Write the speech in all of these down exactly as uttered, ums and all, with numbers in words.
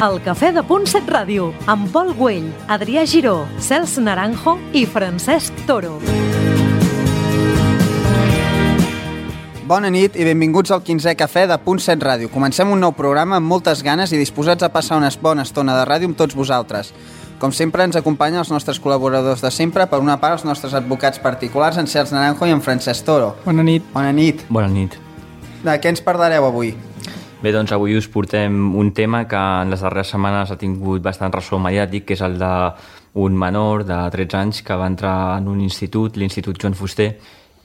El Cafè de Punt set Ràdio, amb Pol Güell, Adrià Giró, Cels Naranjo i Francesc Toro. Bona nit i benvinguts al quinzè Cafè de Punt set Ràdio. Comencem un nou programa amb moltes ganes i disposats a passar una bona estona de ràdio amb tots vosaltres. Com sempre ens acompanyen els nostres col·laboradors de sempre, per una part els nostres advocats particulars, en Cels Naranjo i en Francesc Toro. Bona nit. Bona nit. Bona nit. De què ens parlareu avui? Bé, doncs avui us portem un tema que en les darreres setmanes ha tingut bastant ressò mediàtic, que és el d'un menor de tretze anys que va entrar en un institut, l'Institut Joan Fuster,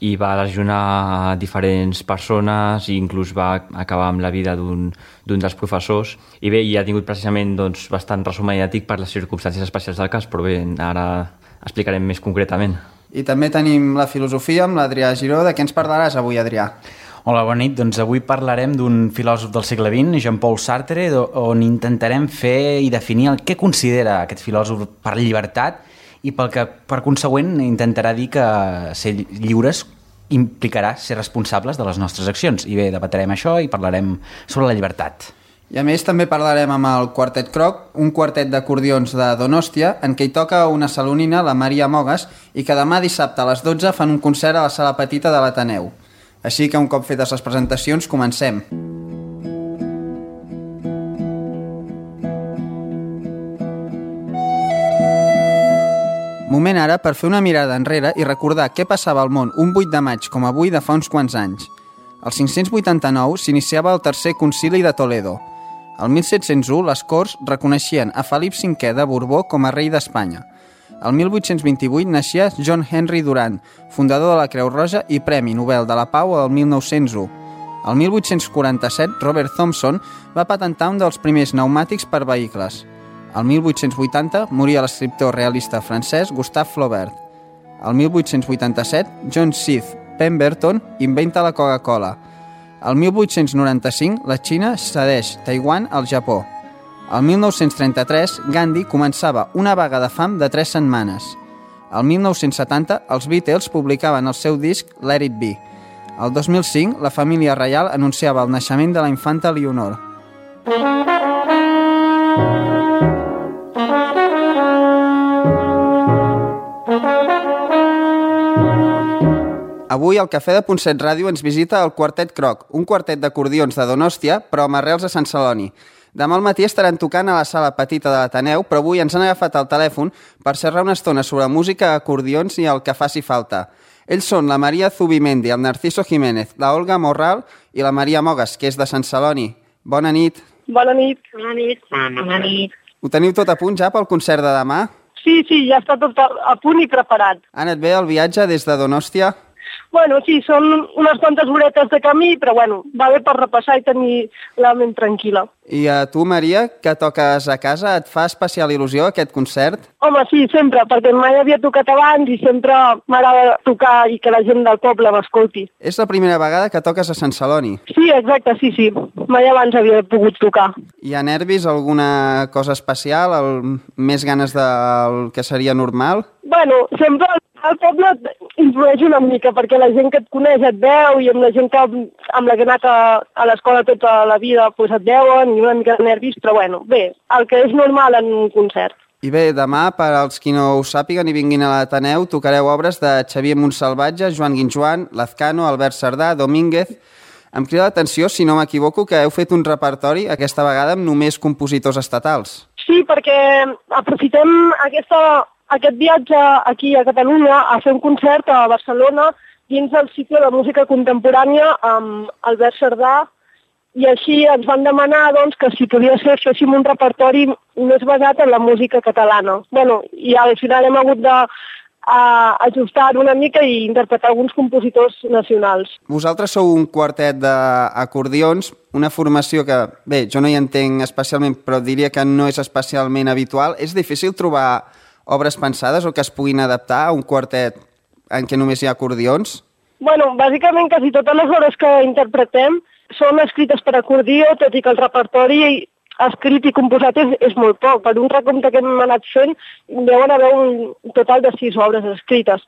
i va lesionar diferents persones i inclús va acabar amb la vida d'un d'un dels professors. I bé, i ha tingut precisament doncs, bastant ressò mediàtic per les circumstàncies especials del cas, però bé, ara explicarem més concretament. I també tenim la filosofia amb l'Adrià Giró. De què ens parlaràs avui, Adrià? Hola, bona nit. Doncs avui parlarem d'un filòsof del segle vint, Jean-Paul Sartre, on intentarem fer i definir el que considera aquest filòsof per llibertat i pel que, per consegüent, intentarà dir que ser lliures implicarà ser responsables de les nostres accions. I bé, debatrem això i parlarem sobre la llibertat. I a més també parlarem amb el Quartet Croc, un quartet d'acordions de Donòstia, en què hi toca una salonina, la Maria Mogues, i que demà dissabte a les dotze fan un concert a la sala petita de l'Ateneu. Així que un cop fetes les presentacions, comencem. Moment ara per fer una mirada enrere i recordar què passava al món un vuit de maig com avui de fa uns quants anys. El cinc-cents vuitanta-nou s'iniciava el tercer concili de Toledo. El mil set-cents u les Corts reconeixien a Felip cinquè de Borbó com a rei d'Espanya. El mil vuit-cents vint-i-vuit naixia John Henry Durant, fundador de la Creu Roja i Premi Nobel de la Pau el mil nou-cents u. El mil vuit-cents quaranta-set, Robert Thomson va patentar un dels primers pneumàtics per vehicles. El mil vuit-cents vuitanta moria l'escriptor realista francès Gustave Flaubert. El mil vuit-cents vuitanta-set, John Seith Pemberton inventa la Coca-Cola. El mil vuit-cents noranta-cinc, la Xina cedeix Taiwan al Japó. El mil nou-cents trenta-tres, Gandhi començava una vaga de fam de tres setmanes. El mil nou-cents setanta, els Beatles publicaven el seu disc Let It Be. El dos mil cinc, la família reial anunciava el naixement de la infanta Leonor. Avui al Cafè de Punt set Ràdio ens visita el Quartet Croc, un quartet d'acordions de Donòstia, però amb arrels a Sant Celoni. Demà al matí estaran tocant a la sala petita de l'Ateneu, però avui ens han agafat el telèfon per xerrar una estona sobre música, acordions i el que faci falta. Ells són la Maria Zubimendi, el Narciso Jiménez, la Olga Morral i la Maria Mogues, que és de Sant Celoni. Bona nit. Bona nit. Bona nit. Bona nit. Ho teniu tot a punt ja pel concert de demà? Sí, sí, ja està tot a punt i preparat. Ha anat bé el viatge des de Donòstia? Bueno, sí, són unes quantes horetes de camí, però bueno, va bé per repassar i tenir la ment tranquil·la. I a tu, Maria, que toques a casa, et fa especial il·lusió aquest concert? Home, sí, sempre, perquè mai havia tocat abans i sempre m'agrada tocar i que la gent del poble m'escolti. És la primera vegada que toques a Sant Celoni? Sí, exacte, sí, sí. Mai abans havia pogut tocar. Hi ha nervis, alguna cosa especial, el... més ganes del que seria normal? Bueno, sempre el poble influeix una mica, perquè la gent que et coneix et veu i amb la gent que, amb la que he anat a, a l'escola tota la vida pues et veuen i una mica de nervis, però bueno, bé, el que és normal en un concert. I bé, demà, per als qui no ho sàpiguen i vinguin a l'Ateneu, tocareu obres de Xavier Montsalvatge, Joan Guinjoan, Lazcano, Albert Sardà, Domínguez. Em crida l'atenció, si no m'equivoco, que heu fet un repertori aquesta vegada amb només compositors estatals. Sí, perquè aprofitem aquesta... aquest viatge aquí a Catalunya a fer un concert a Barcelona dins del cicle de música contemporània amb Albert Sardà i així ens van demanar doncs, que si podia ser féssim un repertori més basat en la música catalana. Bueno, i al final hem hagut de a ajustar una mica i interpretar alguns compositors nacionals. Vosaltres sou un quartet d'acordions, una formació que, bé, jo no hi entenc especialment, però diria que no és especialment habitual. És difícil trobar obres pensades o que es puguin adaptar a un quartet en què només hi ha acordions? Bueno, bàsicament quasi totes les obres que interpretem són escrites per acordió, tot i que el repertori escrit i composat és, és molt poc. Per un recompte que hem anat fent, deuen haver un total de sis obres escrites.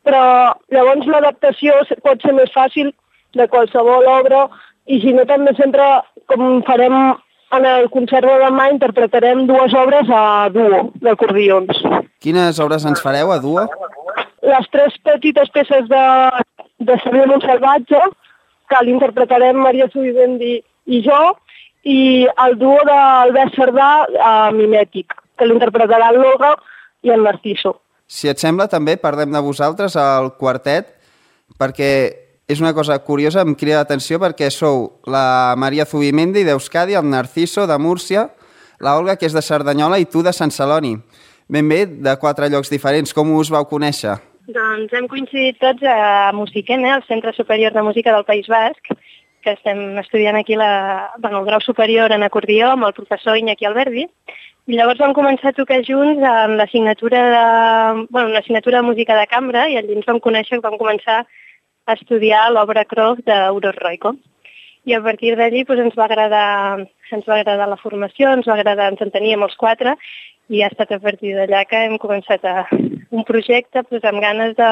Però llavors l'adaptació pot ser més fàcil de qualsevol obra i si no també sempre com farem en el concert de demà interpretarem dues obres a duo d'acordions. Quines obres ens fareu a duo? Les tres petites peces de, de Xavier Montsalvatge, que l'interpretarem Maria Zubimendi i jo, i el duo d'Albert Cerdà a Mimètic, que l'interpretarà el Loga i el Narciso. Si et sembla, també parlem de vosaltres al quartet, perquè és una cosa curiosa, em crida l'atenció, perquè sou la Maria Zubimendi d'Euskadi, el Narciso de Múrcia, la Olga, que és de Cerdanyola, i tu de Sant Celoni. Ben bé, de quatre llocs diferents. Com us vau conèixer? Doncs hem coincidit tots a Musiquene, al Centre Superior de Música del País Basc, que estem estudiant aquí la, bueno, el grau superior en acordió amb el professor Iñaki Alberdi, i llavors vam començar a tocar junts en l'assignatura de, bueno, l'assignatura de música de cambra, i allí ens vam conèixer, vam començar a estudiar l'obra Krog d'Uros Roiko. I a partir d'allí doncs, ens va agradar, ens va agradar la formació, ens va agradar, ens enteníem els quatre, i ha estat a partir d'allà que hem començat a, un projecte doncs, amb ganes de,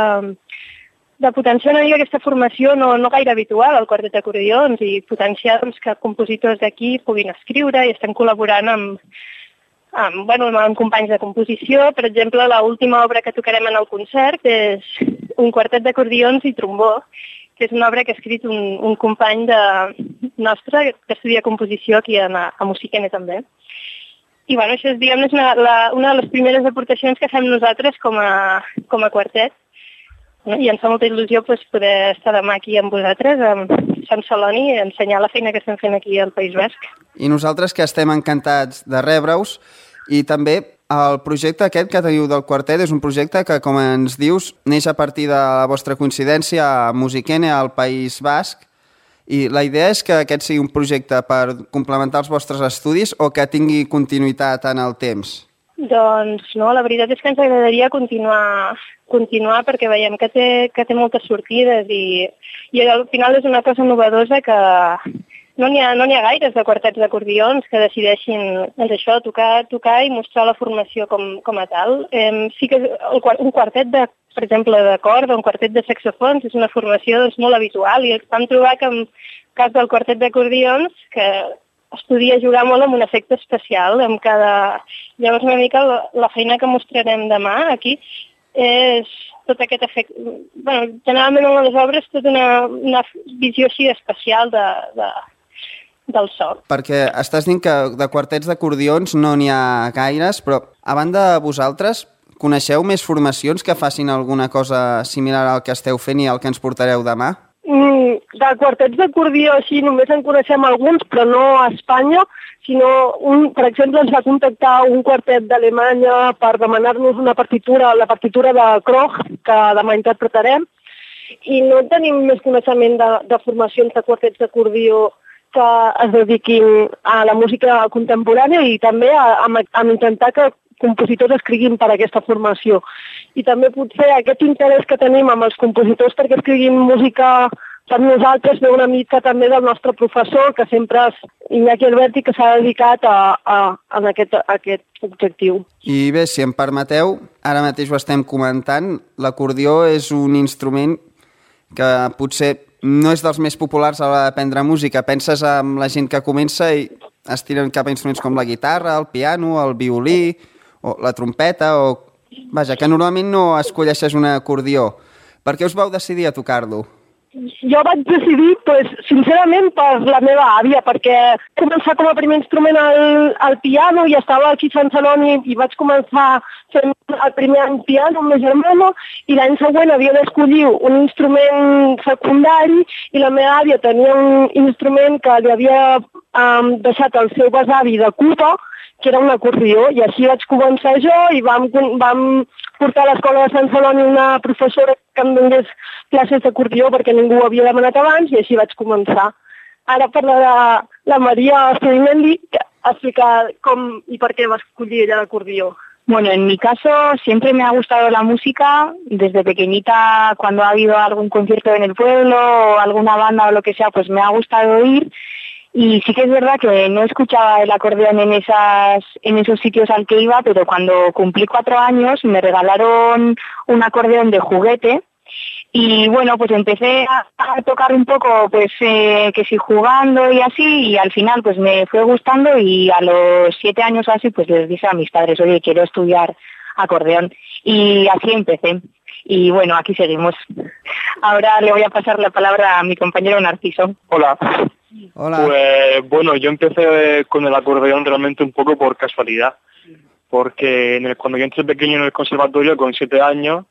de potenciar una mica aquesta formació no, no gaire habitual al quartet d'acordions i potenciar doncs, que compositors d'aquí puguin escriure i estem col·laborant amb, amb, bueno, amb companys de composició. Per exemple, l'última obra que tocarem en el concert és un quartet d'acordions i trombó, que és una obra que ha escrit un, un company de, nostre que estudia composició aquí a, a Musiquene també. I bueno, això és, diguem, és una, la, una de les primeres aportacions que fem nosaltres com a, com a quartet. No? I ens fa molta il·lusió pues, poder estar demà aquí amb vosaltres, amb Sant Celoni, i ensenyar la feina que estem fent aquí al País Basc. I nosaltres que estem encantats de rebre-us, i també el projecte aquest que teniu del quartet és un projecte que, com ens dius, neix a partir de la vostra coincidència a Musiquene, al País Basc, i la idea és que aquest sigui un projecte per complementar els vostres estudis o que tingui continuïtat en el temps? Doncs no, la veritat és que ens agradaria continuar, continuar perquè veiem que té, que té moltes sortides i, i al final és una cosa novedosa que no n'hi ha, no n'hi ha gaires de quartets d'acordions que decideixin doncs això, tocar, tocar i mostrar la formació com, com a tal. Eh, sí que el, un quartet de per exemple, de corda, un quartet de saxofons, és una formació doncs, molt habitual, i vam trobar que en cas del quartet d'acordions, que es podia jugar molt amb un efecte especial, amb cada... Llavors una mica la, la feina que mostrarem demà aquí és tot aquest efecte... Bueno, generalment en les obres tota una, una visió així especial de, de, del so. Perquè estàs dient que de quartets d'acordions no n'hi ha gaires, però a banda de vosaltres, coneixeu més formacions que facin alguna cosa similar al que esteu fent i al que ens portareu demà? Mm, de quartets d'acordió així només en coneixem alguns, però no a Espanya, sinó, un, per exemple, ens va contactar un quartet d'Alemanya per demanar-nos una partitura, la partitura de Krog, que demà interpretarem, i no tenim més coneixement de, de formacions de quartets d'acordió que es dediquin a la música contemporània i també a, a, a intentar que compositors escriguin per a aquesta formació. I també potser aquest interès que tenim amb els compositors perquè escriguin música per nosaltres ve una mica també del nostre professor, que sempre és Iñaki Alberti, que s'ha dedicat a, a, a, aquest, a aquest objectiu. I bé, si em permeteu, ara mateix ho estem comentant, l'acordió és un instrument que potser no és dels més populars a l'hora d'aprendre música. Penses en la gent que comença i es tiren cap a instruments com la guitarra, el piano, el violí, o la trompeta, o... Vaja, que normalment no escolleixes un acordió. Per què us vau decidir a tocar-lo? Jo vaig decidir, pues, sincerament, per la meva àvia, perquè començar com a primer instrument el, el piano i estava aquí a Sant Celoni i vaig començar fent el primer any piano amb la germana i l'any següent havia d'escollir un instrument secundari i la meva àvia tenia un instrument que li havia um, deixat el seu besavi de Cuba, que era un acordió, i així vaig començar jo i vam, vam portar a l'escola de Sant Celoni una professora que em donés classes d'acordió perquè ningú ho havia demanat abans i així vaig començar. Ara parlarà la María Zubimendi a explicar com y por qué va a escollir ella el acordeón. Bueno, en mi caso siempre me ha gustado la música. Desde pequeñita, cuando ha habido algún concierto en el pueblo o alguna banda o lo que sea, pues me ha gustado ir. Y sí que es verdad que no escuchaba el acordeón en esas, en esos sitios al que iba, pero cuando cumplí cuatro años me regalaron un acordeón de juguete Y bueno, pues empecé a, a tocar un poco, pues eh, que sí jugando y así, y al final pues me fue gustando y a los siete años o así pues les dije a mis padres, oye, quiero estudiar acordeón. Y así empecé. Y bueno, aquí seguimos. Ahora le voy a pasar la palabra a mi compañero Narciso. Hola. Hola. Pues bueno, yo empecé con el acordeón realmente un poco por casualidad, porque en el, cuando yo entré pequeño en el conservatorio con siete años,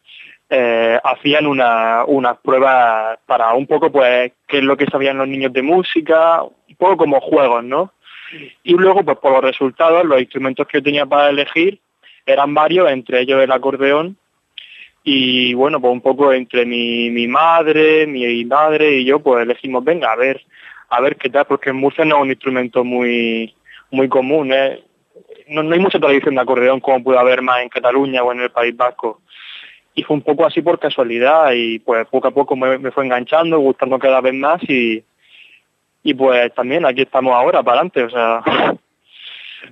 eh, hacían una, unas pruebas para un poco pues qué es lo que sabían los niños de música, un poco como juegos, ¿no? Y luego pues por los resultados, los instrumentos que yo tenía para elegir eran varios, entre ellos el acordeón. Y bueno, pues un poco entre mi, mi madre, mi madre y yo, pues elegimos, venga, a ver, a ver qué tal, porque en Murcia no es un instrumento muy muy común, ¿eh? No, no hay mucha tradición de acordeón como puede haber más en Cataluña o en el País Vasco. Y fue un poco así por casualidad y pues poco a poco me, me fue enganchando, gustando cada vez más y, y pues también aquí estamos ahora, para adelante, o sea,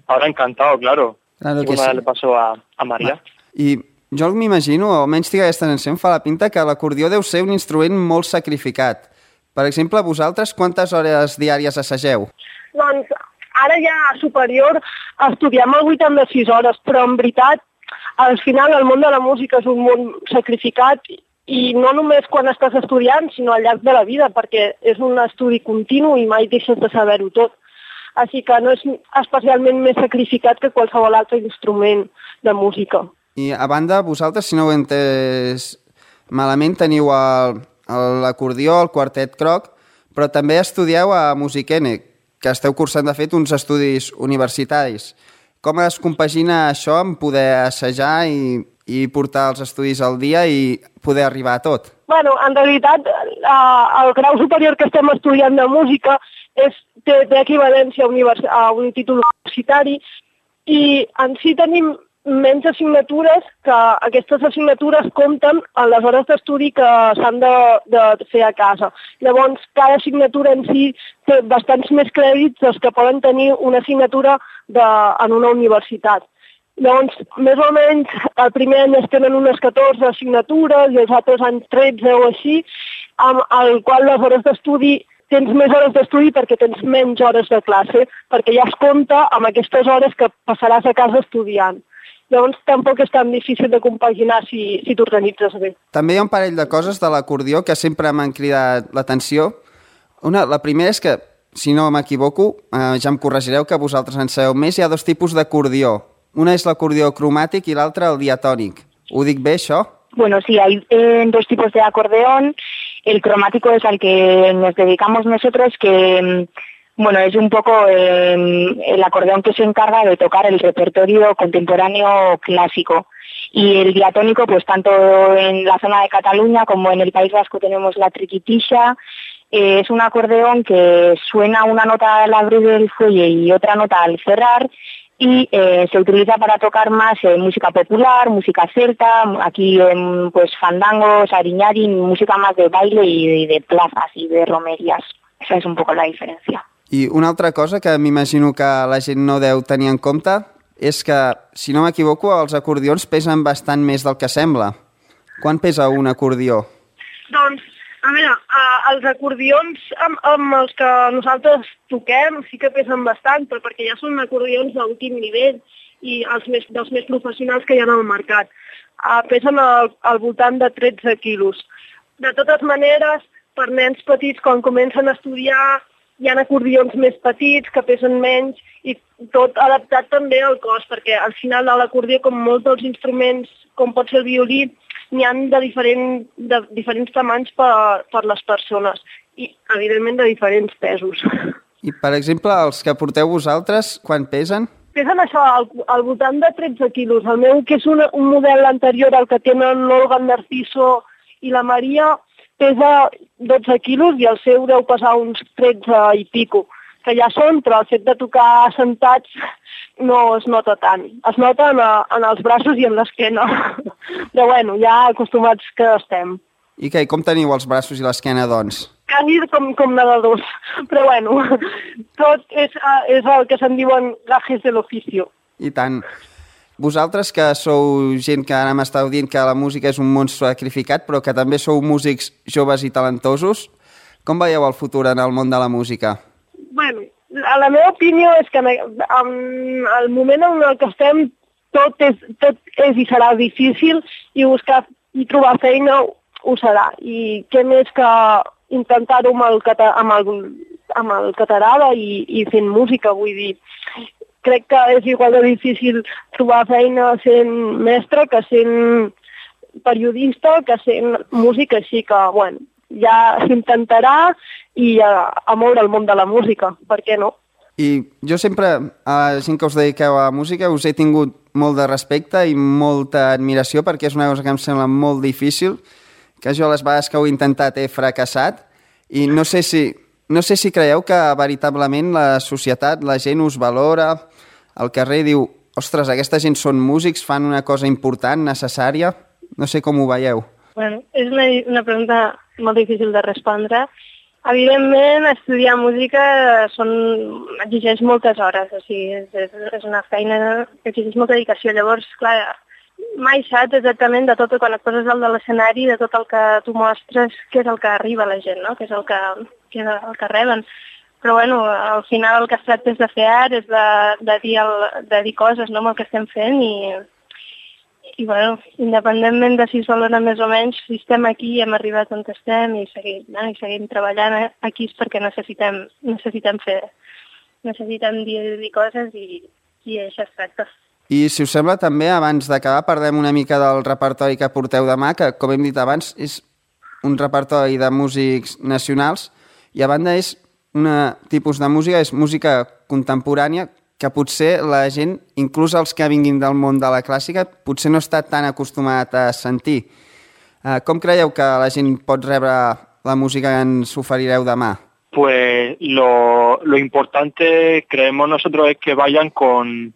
ahora encantado, claro. Claro I que una sí. le passo a, a Maria. I jo m'imagino, o almenys tinc aquesta sensació, em fa la pinta que l'acordió deu ser un instrument molt sacrificat. Per exemple, vosaltres quantes hores diàries assageu? Doncs ara ja a superior estudiem el vuitanta-sis hores, però en veritat al final el món de la música és un món sacrificat i no només quan estàs estudiant, sinó al llarg de la vida, perquè és un estudi continu i mai deixes de saber-ho tot. Així que no és especialment més sacrificat que qualsevol altre instrument de música. I a banda, vosaltres, si no ho he entès malament, teniu el, l'acordió, el quartet croc, però també estudieu a Musiquene, que esteu cursant, de fet, uns estudis universitaris. Com es compagina això amb poder assajar i, i portar els estudis al dia i poder arribar a tot? Bueno, en realitat, el grau superior que estem estudiant de música és, té, té equivalència a, univers, a un títol universitari i en si tenim menys assignatures, que aquestes assignatures compten en les hores d'estudi que s'han de, de fer a casa. Llavors, cada assignatura en si té bastants més crèdits dels que poden tenir una assignatura de, en una universitat. Llavors, més o menys, el primer any es tenen unes catorze assignatures i els altres anys tretze o així, amb el qual les hores d'estudi tens més hores d'estudi perquè tens menys hores de classe, perquè ja es compta amb aquestes hores que passaràs a casa estudiant. Llavors tampoc és tan difícil de compaginar si, si t'organitzes bé. També hi ha un parell de coses de l'acordió que sempre m'han cridat l'atenció. Una, la primera és que, si no m'equivoco, eh, ja em corregireu que vosaltres en sabeu més, hi ha dos tipus d'acordió. Una és l'acordió cromàtic i l'altra el diatònic. Ho dic bé, això? Bueno, sí, hay eh, dos tipos de acordeón. El cromático es al que nos dedicamos nosotros, que bueno, es un poco eh, el acordeón que se encarga de tocar el repertorio contemporáneo clásico. Y el diatónico, pues tanto en la zona de Cataluña como en el País Vasco tenemos la triquitisha. Eh, es un acordeón que suena una nota al abrir el fuelle y otra nota al cerrar, y eh, se utiliza para tocar más eh, música popular, música celta, aquí eh, pues fandangos, ariñari, música más de baile y de, de plazas y de romerías. Esa es un poco la diferència. I una altra cosa que m'imagino que la gent no deu tenir en compte és que, si no m'equivoco, els acordions pesen bastant més del que sembla. Quant pesa un acordió? Doncs, a veure, els acordions amb, amb els que nosaltres toquem sí que pesen bastant, però perquè ja són acordions d'últim nivell i els més, dels més professionals que hi ha al mercat. Uh, pesen al, al voltant de tretze quilos. De totes maneres, per nens petits, quan comencen a estudiar, hi ha acordions més petits que pesen menys i tot adaptat també al cos, perquè al final de l'acordió, com molts dels instruments, com pot ser el violí, n'hi ha de, diferent, de diferents tamanys per, per les persones i, evidentment, de diferents pesos. I, per exemple, els que porteu vosaltres, quan pesen? Pesen això, al, al voltant de tretze quilos. El meu, que és un, un model anterior al que tenen l'Olga, el Narciso i la Maria, pesa dotze quilos i el seu deu pesar uns tretze i pico, que ja són, però el fet de tocar sentats no es nota tant. Es nota en, a, en els braços i en l'esquena. Però bueno, ja acostumats que estem. I què, com teniu els braços i l'esquena, doncs? Quasi com, com nedadors. Però bueno, tot és, és el que se'n diuen gajes de l'oficio. I tant. vosaltres que sou gent que ara m'estàu dient que la música és un món sacrificat, però que també sou músics joves i talentosos, com veieu el futur en el món de la música? Bueno, la meva opinió és que en el moment en el que estem tot és, tot és i serà difícil i buscar i trobar feina ho serà. I què més que intentar-ho amb el, cata, amb el, amb el català i, i fent música, vull dir. Crec que és igual de difícil trobar feina sent mestre que sent periodista, que sent música, així que, bueno, ja s'intentarà i a, a moure el món de la música, per què no? I jo sempre, a la gent que us dediqueu a la música, us he tingut molt de respecte i molta admiració perquè és una cosa que em sembla molt difícil, que jo les vegades que ho he intentat he fracassat i no sé si, no sé si creieu que veritablement la societat, la gent us valora, al carrer diu, ostres, aquesta gent són músics, fan una cosa important, necessària, no sé com ho veieu. Bueno, és una, una pregunta molt difícil de respondre. Evidentment, estudiar música són, exigeix moltes hores, o sigui, és, és una feina que exigeix molta dedicació. Llavors, clar, mai saps exactament de tot, quan et poses dalt de l'escenari, de tot el que tu mostres, què és el que arriba a la gent, no? Què és el que, què és el que reben. Però, bueno, al final el que es tracta és de fer art, és de, de, dir, el, de dir coses, no?, amb el que estem fent i... I, bueno, independentment de si es valora més o menys, si estem aquí i hem arribat on estem i seguim, no? I seguim treballant aquí és perquè necessitem, necessitem fer, necessitem dir, dir coses i, i això es tracta. I si us sembla també, abans d'acabar, parlem una mica del repertori que porteu demà, que com hem dit abans és un repertori de músics nacionals i a banda és un tipus de música, és música contemporània que potser la gent, inclús els que vinguin del món de la clàssica, potser no està tan acostumat a sentir. Com creieu que la gent pot rebre la música que ens oferireu demà? Pues lo, lo importante, creemos nosotros, es que vayan con,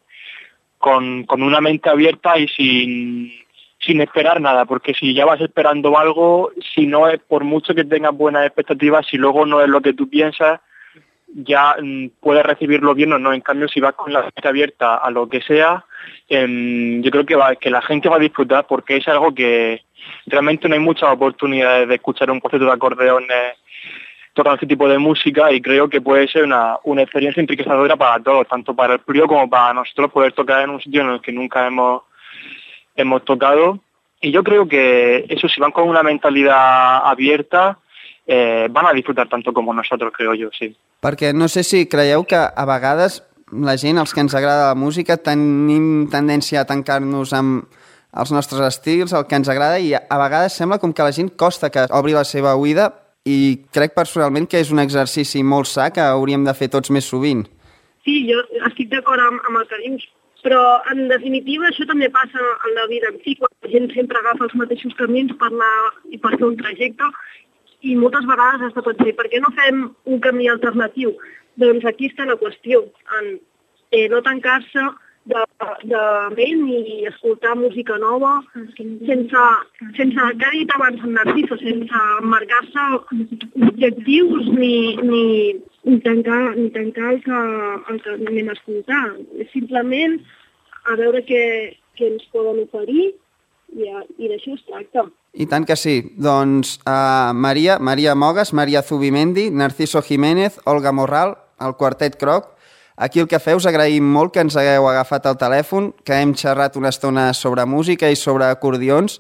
con, con una mente abierta y sin, sin esperar nada, porque si ya vas esperando algo, si no es por mucho que tengas buenas expectativas, si luego no es lo que tú piensas, ya mmm, puedes recibirlo bien o no. En cambio, si vas con la mente abierta a lo que sea, eh, yo creo que, va, que la gente va a disfrutar, porque es algo que realmente no hay muchas oportunidades de escuchar un concierto de acordeones tocando este tipo de música, y creo que puede ser una, una experiencia enriquecedora para todos, tanto para el público como para nosotros, poder tocar en un sitio en el que nunca hemos, hemos tocado. Y yo creo que eso, si van con una mentalidad abierta, Eh, van a disfrutar tanto com nosaltres, creo jo, sí. Perquè no sé si creieu que a vegades la gent, els que ens agrada la música, tenim tendència a tancar-nos amb els nostres estils, el que ens agrada, i a vegades sembla com que la gent costa que obri la seva oïda, i crec personalment que és un exercici molt sa que hauríem de fer tots més sovint. Sí, jo estic d'acord amb, amb el que dius, però en definitiva això també passa en la vida en si, quan la gent sempre agafa els mateixos camins per anar i per fer un trajecte, i moltes vegades has de pensar, per què no fem un camí alternatiu? Doncs aquí està la qüestió, en eh, no tancar-se de, de ment i escoltar música nova, sense, sense que ha dit abans en Narciso, sense marcar-se objectius ni, ni, ni tancar, ni tancar el, que, el que anem a escoltar. És simplement a veure què, què ens poden oferir i, i d'això es tracta. I tant que sí. Doncs uh, Maria, Maria Mogas, Maria Zubimendi, Narciso Jiménez, Olga Morral, el Quartet Croc. Aquí el que feu, us agraïm molt que ens hagueu agafat el telèfon, que hem xerrat una estona sobre música i sobre acordions,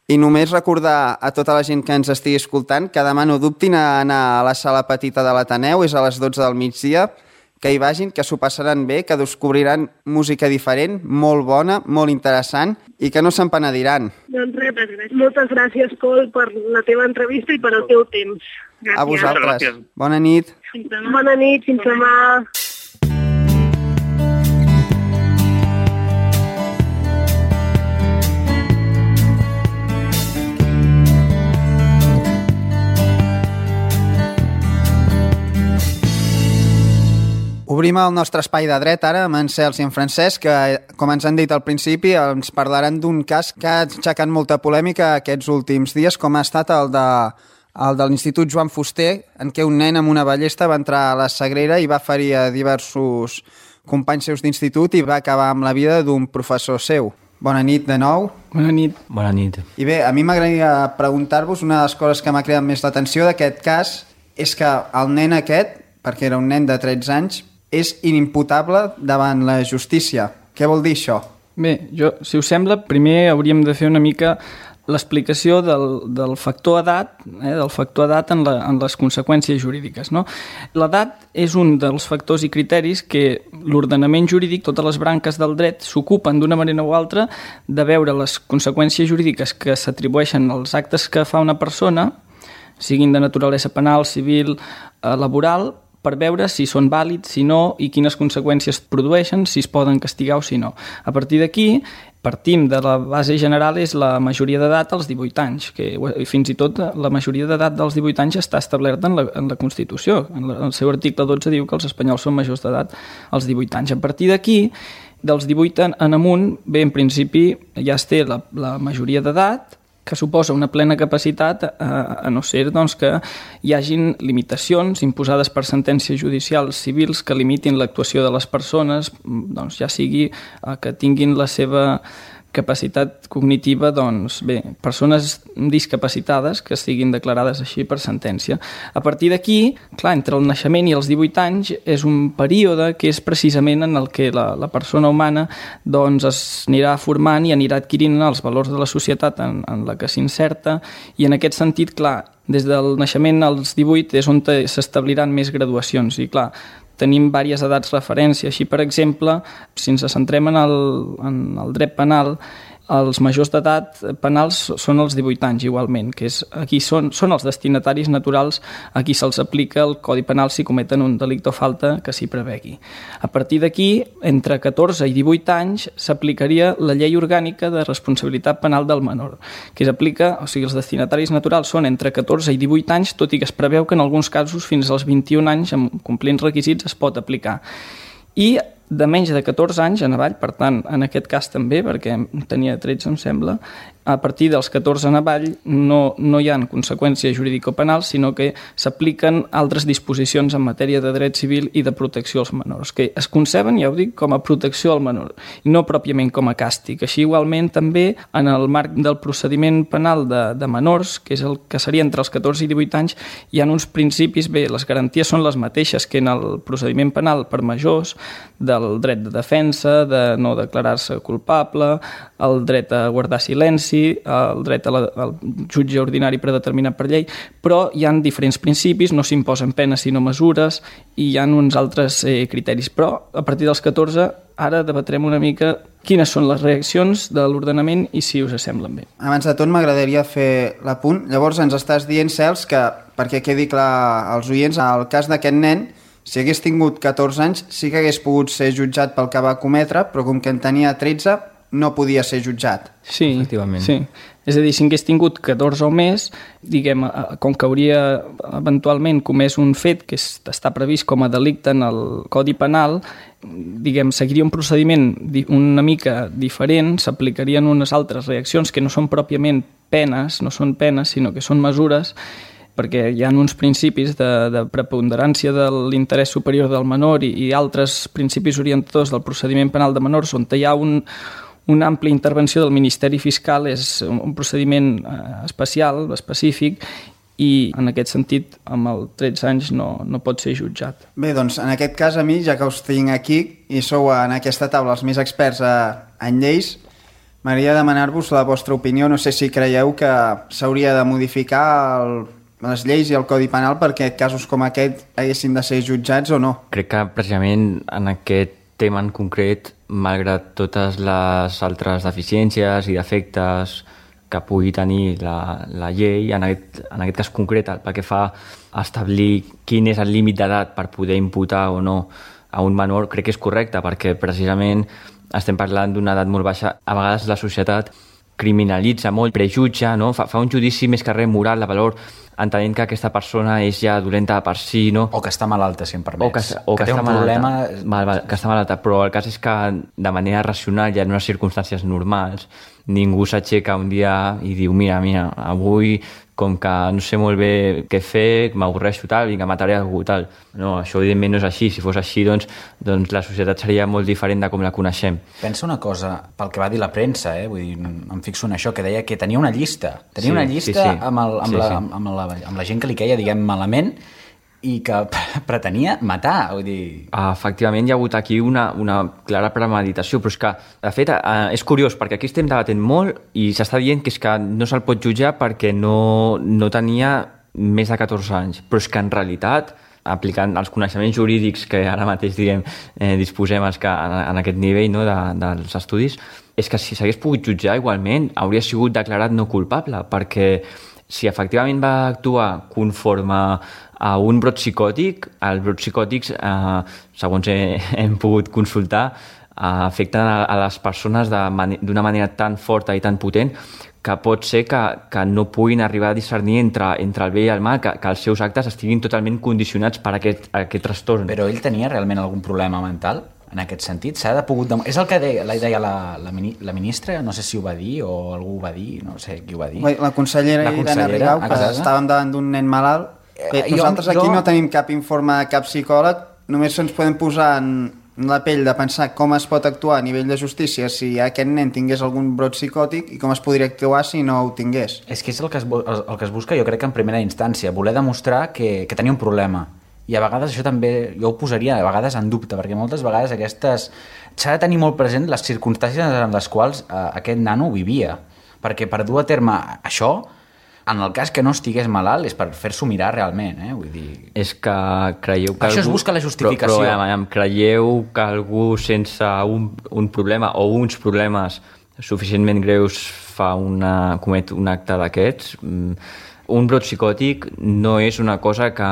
i només recordar a tota la gent que ens estigui escoltant que demà no dubtin a anar a la sala petita de l'Ateneu, és a les dotze del migdia, que hi vagin, que s'ho passaran bé, que descobriran música diferent, molt bona, molt interessant, i que no se'n penediran. Doncs res, moltes gràcies, Col, per la teva entrevista i per el teu temps. Gràcies. A vosaltres. Bona nit. Bona nit, fins demà. Obrim el nostre espai de dret ara amb en Cels i en Francesc, que, com ens han dit al principi, ens parlaran d'un cas que ha aixecat molta polèmica aquests últims dies, com ha estat el de, el de l'Institut Joan Fuster, en què un nen amb una ballesta va entrar a la Sagrera i va ferir a diversos companys seus d'institut i va acabar amb la vida d'un professor seu. Bona nit de nou. Bona nit. Bona nit. I bé, a mi m'agradaria preguntar-vos, una de les coses que m'ha creat més l'atenció d'aquest cas és que el nen aquest, perquè era un nen de tretze anys, és inimputable davant la justícia. Què vol dir això? Bé, jo, si us sembla, primer hauríem de fer una mica l'explicació del, del factor edat, eh, del factor edat en, la, en les conseqüències jurídiques, no? L'edat és un dels factors i criteris que l'ordenament jurídic, totes les branques del dret, s'ocupen d'una manera o altra de veure les conseqüències jurídiques que s'atribueixen als actes que fa una persona, siguin de naturalesa penal, civil, eh, laboral, per veure si són vàlids, si no, i quines conseqüències produeixen, si es poden castigar o si no. A partir d'aquí, partim de la base general, és la majoria d'edat als divuit anys, que fins i tot la majoria d'edat dels divuit anys està establerta en la, en la Constitució. En la, el seu article dotze diu que els espanyols són majors d'edat als divuit anys. A partir d'aquí, dels divuit en, en amunt, bé, en principi ja es té la, la majoria d'edat, que suposa una plena capacitat, eh, a no ser doncs, que hi hagin limitacions imposades per sentències judicials civils que limitin l'actuació de les persones, doncs, ja sigui eh, que tinguin la seva capacitat cognitiva, doncs bé, persones discapacitades que siguin declarades així per sentència. A partir d'aquí, clar, entre el naixement i els divuit anys és un període que és precisament en el que la, la persona humana doncs es anirà formant i anirà adquirint els valors de la societat en, en la que s'inserta, i en aquest sentit, clar, des del naixement als divuit és on s'establiran més graduacions, i clar, tenim diverses edats referència. Així, per exemple, si ens centrem en el, en el dret penal, els majors d'edat penals són els divuit anys igualment, que és, aquí són, són els destinataris naturals a qui se'ls aplica el Codi Penal si cometen un delicte o falta que s'hi prevegui. A partir d'aquí, entre catorze i divuit anys, s'aplicaria la llei orgànica de responsabilitat penal del menor, que s'aplica, o sigui, els destinataris naturals són entre catorze i divuit anys, tot i que es preveu que en alguns casos fins als vint-i-un anys, amb complint requisits, es pot aplicar. I de menys de catorze anys en avall, per tant, en aquest cas també, perquè tenia tretze, em sembla, a partir dels catorze en avall no, no hi ha conseqüències jurídico-penals, sinó que s'apliquen altres disposicions en matèria de dret civil i de protecció als menors, que es conceben, ja ho dic, com a protecció al menor, i no pròpiament com a càstig. Així, igualment, també, en el marc del procediment penal de, de menors, que és el que seria entre els catorze i divuit anys, hi ha uns principis, bé, les garanties són les mateixes que en el procediment penal per majors, del dret de defensa, de no declarar-se culpable, el dret a guardar silenci, el dret a la, al jutge ordinari predeterminat per llei, però hi ha diferents principis, no s'imposen penes sinó mesures, i hi ha uns altres eh, criteris. Però a partir dels catorze ara debatrem una mica quines són les reaccions de l'ordenament i si us semblen bé. Abans de tot m'agradaria fer l'apunt. Llavors ens estàs dient, Cels, que perquè quedi clar als oients, el cas d'aquest nen, si hagués tingut catorze anys, sí que hagués pogut ser jutjat pel que va cometre, però com que en tenia tretze, no podia ser jutjat. Sí, efectivament. Sí. És a dir, si hagués tingut catorze o més, diguem, com que hauria eventualment comès un fet que està previst com a delicte en el Codi Penal, diguem, seguiria un procediment una mica diferent, s'aplicarien unes altres reaccions que no són pròpiament penes, no són penes, sinó que són mesures, perquè hi ha uns principis de, de preponderància de l'interès superior del menor i, i altres principis orientadors del procediment penal de menors on hi ha un, una àmplia intervenció del Ministeri Fiscal, és un, un procediment eh, especial, específic, i en aquest sentit, amb els tretze anys no, no pot ser jutjat. Bé, doncs en aquest cas a mi, ja que us tinc aquí i sou en aquesta taula els més experts a, en lleis, m'agradaria demanar-vos la vostra opinió. No sé si creieu que s'hauria de modificar el les lleis i el Codi Penal perquè casos com aquest haguessin de ser jutjats o no? Crec que precisament en aquest tema en concret, malgrat totes les altres deficiències i defectes que pugui tenir la, la llei, en aquest, en aquest cas concret, pel que fa a establir quin és el límit d'edat per poder imputar o no a un menor, crec que és correcte, perquè precisament estem parlant d'una edat molt baixa. A vegades la societat criminalitza molt, prejutja, no? fa, fa un judici més que res moral de valor entenent que aquesta persona és ja dolenta per si, no? O que està malalta, si em permets. O que, o que, que té està un problema... Malalta. Val, val, que està malalta, però el cas és que de manera racional i en unes circumstàncies normals ningú s'aixeca un dia i diu mira, mira, avui com que no sé molt bé què fer, m'avorreixo tal, vinga, mataré algú tal. No, això evidentment no és així. Si fos així, doncs, doncs la societat seria molt diferent de com la coneixem. Pensa una cosa, pel que va dir la premsa, eh? Vull dir, em fixo en això, que deia que tenia una llista. Tenia sí, una llista sí, sí. Amb, el, amb, sí, la, sí. Amb, la, amb la gent que li queia, diguem, malament, i que pretenia matar, vull dir... Efectivament, hi ha hagut aquí una, una clara premeditació, però és que, de fet, eh, és curiós, perquè aquí estem debatent molt i s'està dient que és que no se'l pot jutjar perquè no, no tenia més de catorze anys, però és que en realitat, aplicant els coneixements jurídics que ara mateix, diguem, eh, disposem els que, en, en aquest nivell, no, de, dels estudis, és que si s'hagués pogut jutjar igualment, hauria sigut declarat no culpable, perquè si efectivament va actuar conforme a un brot psicòtic, els brots psicòtics, eh, segons he, hem pogut consultar, eh, afecten a, a les persones d'una man manera tan forta i tan potent que pot ser que, que no puguin arribar a discernir entre, entre el bé i el mal, que, que els seus actes estiguin totalment condicionats per aquest, aquest trastorn. Però ell tenia realment algun problema mental? En aquest sentit, s'ha de pogut... Dem... És el que deia, la, deia la, la, mini, la ministra, no sé si ho va dir o algú ho va dir, no sé qui ho va dir. La consellera, la consellera Irene Rigau, que exacte. Estàvem davant d'un nen malalt. Bé, jo, nosaltres aquí jo... no tenim cap informe de cap psicòleg, només ens podem posar en la pell de pensar com es pot actuar a nivell de justícia si aquest nen tingués algun brot psicòtic i com es podria actuar si no ho tingués. És que és el que es, el que es busca, jo crec que en primera instància, voler demostrar que, que tenia un problema. I a vegades això també, jo ho posaria a vegades en dubte, perquè moltes vegades aquestes... S'ha de tenir molt present les circumstàncies en les quals eh, aquest nano vivia, perquè per dur a terme això, en el cas que no estigués malalt, és per fer-s'ho mirar realment, eh? Vull dir... És que creieu que això algú... es busca la justificació. Però, però creieu que algú sense un, un problema o uns problemes suficientment greus fa una, comet un acte d'aquests? Un brot psicòtic no és una cosa que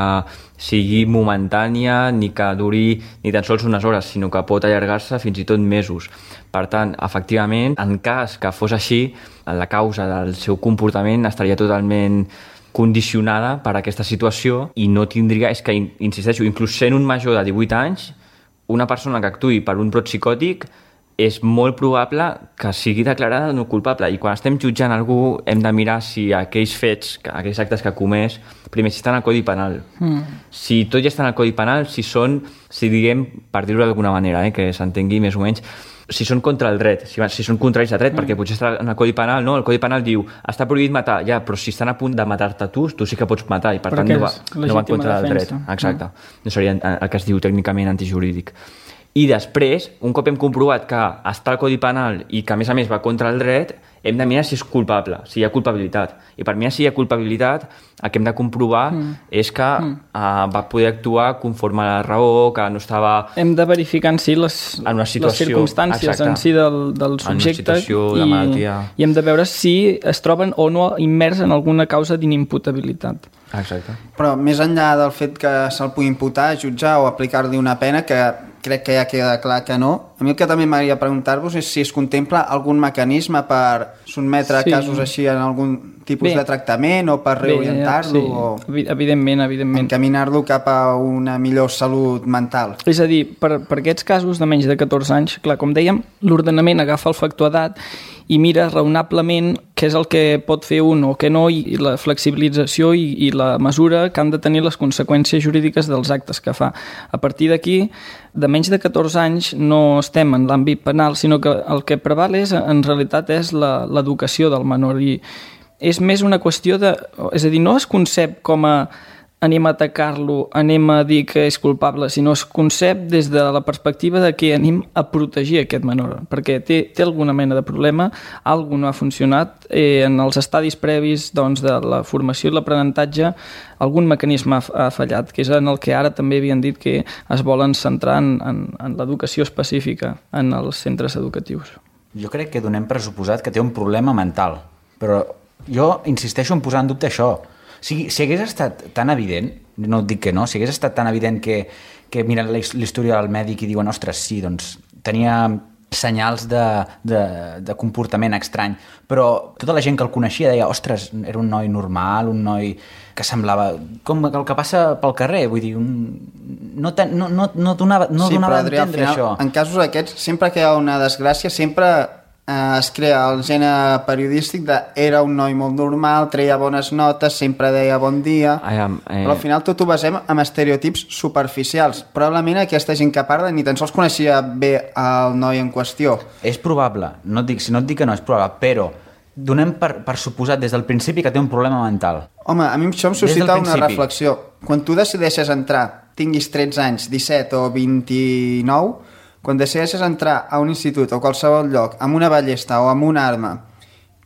sigui momentània ni que duri ni tan sols unes hores, sinó que pot allargar-se fins i tot mesos. Per tant, efectivament, en cas que fos així, la causa del seu comportament estaria totalment condicionada per aquesta situació i no tindria... És que, insisteixo, inclús sent un major de divuit anys, una persona que actuï per un brot psicòtic és molt probable que sigui declarada no culpable. I quan estem jutjant algú hem de mirar si aquells fets, aquells actes que ha comès, primer, si estan al Codi Penal. Mm. Si tot ja està al Codi Penal, si són, si diguem, per dir-ho d'alguna manera, eh, que s'entengui més o menys, si són contra el dret, si, si són contraris al dret, mm. perquè potser està en el Codi Penal, no? El Codi Penal diu, està prohibit matar, ja, però si estan a punt de matar-te tu, tu sí que pots matar, i per perquè tant no va, no va en contra del dret. Exacte. Mm. No seria el que es diu tècnicament antijurídic. I després, un cop hem comprovat que està al Codi Penal i que a més a més va contra el dret, hem de mirar si és culpable, si hi ha culpabilitat. I per mirar si hi ha culpabilitat, el que hem de comprovar mm. és que mm. uh, va poder actuar conforme a la raó, que no estava... Hem de verificar en si les, en una situació, les circumstàncies exacte, en si del, del subjecte i, i hem de veure si es troben o no immers en alguna causa d'inimputabilitat. Exacte. Però més enllà del fet que se'l pugui imputar, jutjar o aplicar-li una pena, que crec que ja queda clar que no, a mi el que també m'agradaria preguntar-vos és si es contempla algun mecanisme per sotmetre sí. casos així en algun tipus bé. de tractament o per reorientar-lo sí. o evidentment, evidentment. encaminar-lo cap a una millor salut mental. És a dir, per, per aquests casos de menys de catorze anys, clar, com dèiem, l'ordenament agafa el factor edat i mira raonablement què és el que pot fer un o què no, i la flexibilització i, i la mesura que han de tenir les conseqüències jurídiques dels actes que fa. A partir d'aquí, de menys de catorze anys no estem en l'àmbit penal, sinó que el que preval és, en realitat és l'educació del menor, i és més una qüestió de... És a dir, no es concep com a anem a atacar-lo, anem a dir que és culpable, sinó es concep des de la perspectiva de que anem a protegir aquest menor, perquè té, té alguna mena de problema, alguna no ha funcionat, eh, en els estadis previs doncs, de la formació i l'aprenentatge algun mecanisme ha, ha fallat, que és en el que ara també havien dit que es volen centrar en, en, en l'educació específica en els centres educatius. Jo crec que donem per suposat que té un problema mental, però jo insisteixo en posar en dubte això. Si, si hagués estat tan evident, no et dic que no, si hagués estat tan evident que, que miren l'història del mèdic i diuen, ostres, sí, doncs tenia senyals de, de, de comportament estrany, però tota la gent que el coneixia deia, ostres, era un noi normal, un noi que semblava com el que passa pel carrer, vull dir, un... no, ten, no, no, no donava, no sí, donava però, Adrià, a entendre final, això. En casos aquests, sempre que hi ha una desgràcia, sempre eh, es crea el gènere periodístic de era un noi molt normal, treia bones notes, sempre deia bon dia, I am, eh... però al final tot ho basem en estereotips superficials. Probablement aquesta gent que parla ni tan sols coneixia bé el noi en qüestió. És probable, no et dic, si no et dic que no és probable, però donem per, per suposat des del principi que té un problema mental. Home, a mi això em suscita una reflexió. Quan tu decideixes entrar, tinguis tretze anys, disset o vint-i-nou, quan decideixes entrar a un institut o qualsevol lloc amb una ballesta o amb una arma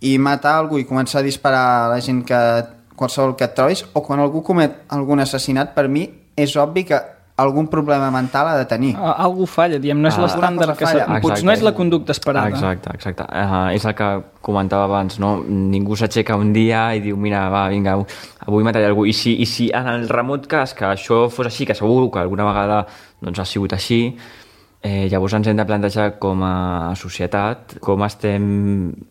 i matar algú i començar a disparar a la gent que qualsevol que et trobis, o quan algú comet algun assassinat, per mi és obvi que algun problema mental ha de tenir. Algú falla, diem, no és ah, l'estàndard que s'ha... No és la conducta esperada. Exacte, exacte. Uh, és el que comentava abans, no? Ningú s'aixeca un dia i diu, mira, va, vinga, avui mataré algú. I si, i si en el remot cas que això fos així, que segur que alguna vegada doncs, ha sigut així, Eh, llavors ens hem de plantejar com a societat com estem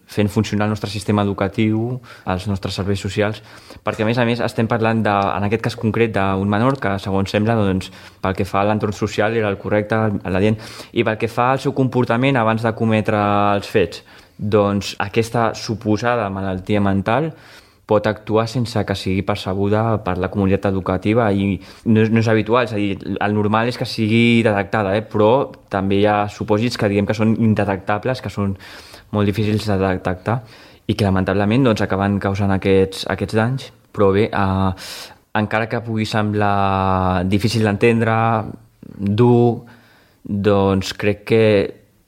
fent funcionar el nostre sistema educatiu, els nostres serveis socials, perquè a més a més estem parlant de, en aquest cas concret d'un menor que segons sembla doncs, pel que fa a l'entorn social era el correcte, l'adient, i pel que fa al seu comportament abans de cometre els fets, doncs aquesta suposada malaltia mental pot actuar sense que sigui percebuda per la comunitat educativa i no és, no és habitual, és a dir, el normal és que sigui detectada, eh? Però també hi ha supòsits que diguem que són indetectables, que són molt difícils de detectar i que lamentablement doncs, acaben causant aquests, aquests danys, però bé, eh, encara que pugui semblar difícil d'entendre, dur, doncs crec que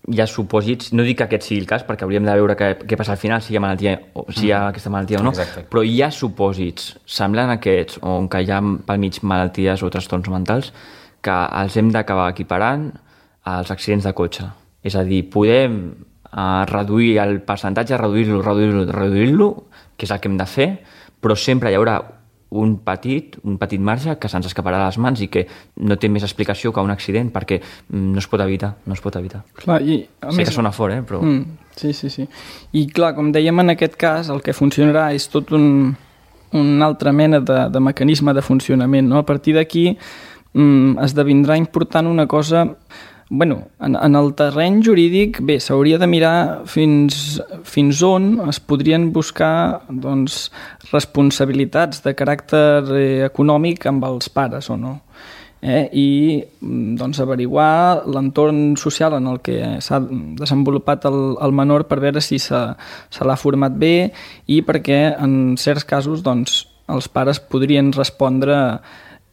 hi ha supòsits, no dic que aquest sigui el cas perquè hauríem de veure què, què passa al final, si hi ha malaltia o si hi ha aquesta malaltia o no. Exacte. Però hi ha supòsits semblants a aquests on que hi ha pel mig malalties o trastorns mentals que els hem d'acabar equiparant als accidents de cotxe. És a dir, podem uh, reduir el percentatge, reduir-lo, reduir-lo, reduir-lo, que és el que hem de fer, però sempre hi haurà un petit, un petit marge que se'ns escaparà de les mans i que no té més explicació que un accident perquè no es pot evitar, no es pot evitar. Clar, i, a sé més... que sona fort, eh? Però... Mm, sí, sí, sí. I clar, com dèiem en aquest cas, el que funcionarà és tot un, una altra mena de, de mecanisme de funcionament, no? A partir d'aquí mm, esdevindrà important una cosa... Bueno, en, en el terreny jurídic, bé, s'hauria de mirar fins, fins on es podrien buscar doncs, responsabilitats de caràcter eh, econòmic amb els pares o no. Eh? I doncs, averiguar l'entorn social en el que s'ha desenvolupat el, el menor per veure si se, se l'ha format bé i perquè en certs casos doncs, els pares podrien respondre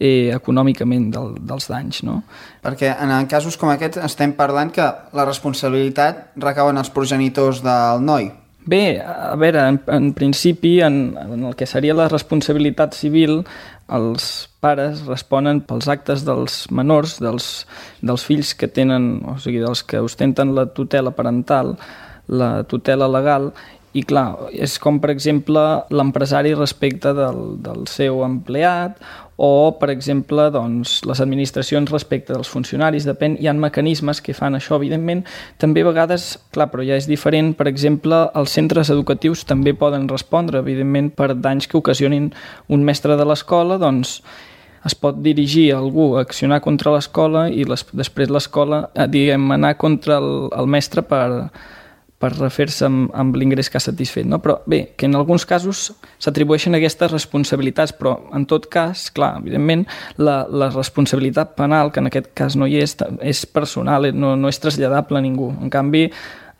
Eh, econòmicament del, dels danys, no? Perquè en casos com aquests estem parlant que la responsabilitat recau en els progenitors del noi. Bé, a veure, en, en principi, en, en el que seria la responsabilitat civil, els pares responen pels actes dels menors, dels, dels fills que tenen, o sigui, dels que ostenten la tutela parental, la tutela legal, i clar, és com per exemple l'empresari respecte del, del seu empleat o per exemple doncs, les administracions respecte dels funcionaris, depèn, hi ha mecanismes que fan això, evidentment, també a vegades, clar, però ja és diferent, per exemple, els centres educatius també poden respondre, evidentment, per danys que ocasionin un mestre de l'escola, doncs es pot dirigir a algú a accionar contra l'escola i les, després l'escola, diguem, anar contra el, el mestre per per refer-se amb, amb l'ingrés que ha satisfet. No? Però bé, que en alguns casos s'atribueixen aquestes responsabilitats, però en tot cas, clar, evidentment, la, la responsabilitat penal, que en aquest cas no hi és, és personal, no, no és traslladable a ningú. En canvi,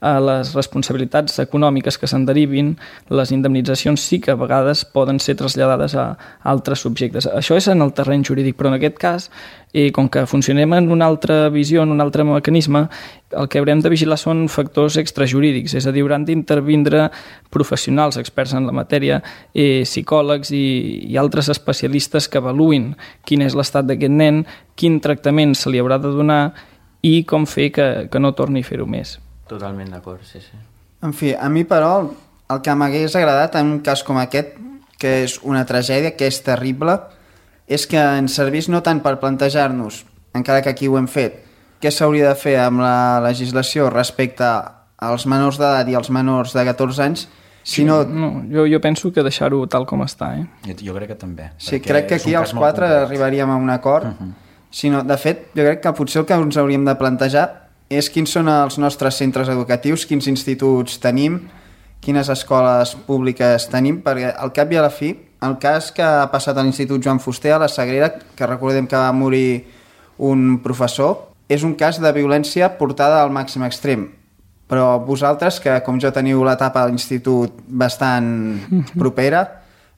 a les responsabilitats econòmiques que se'n derivin, les indemnitzacions sí que a vegades poden ser traslladades a altres subjectes. Això és en el terreny jurídic, però en aquest cas, eh, com que funcionem en una altra visió, en un altre mecanisme, el que haurem de vigilar són factors extrajurídics, és a dir, hauran d'intervindre professionals experts en la matèria, eh, psicòlegs i, i altres especialistes que avaluïn quin és l'estat d'aquest nen, quin tractament se li haurà de donar i com fer que, que no torni a fer-ho més. Totalment d'acord, sí, sí. En fi, a mi, però, el que m'hagués agradat en un cas com aquest, que és una tragèdia, que és terrible, és que ens servís no tant per plantejar-nos, encara que aquí ho hem fet, què s'hauria de fer amb la legislació respecte als menors d'edat i als menors de catorze anys, si no... no jo, jo penso que deixar-ho tal com està, eh? Jo, jo crec que també. Sí, crec que aquí els quatre arribaríem a un acord. Uh-huh. Si no, de fet, jo crec que potser el que ens hauríem de plantejar és quins són els nostres centres educatius, quins instituts tenim, quines escoles públiques tenim, perquè al cap i a la fi, el cas que ha passat a l'Institut Joan Fuster a la Sagrera, que recordem que va morir un professor, és un cas de violència portada al màxim extrem. Però vosaltres, que com jo teniu l'etapa a l'institut bastant propera,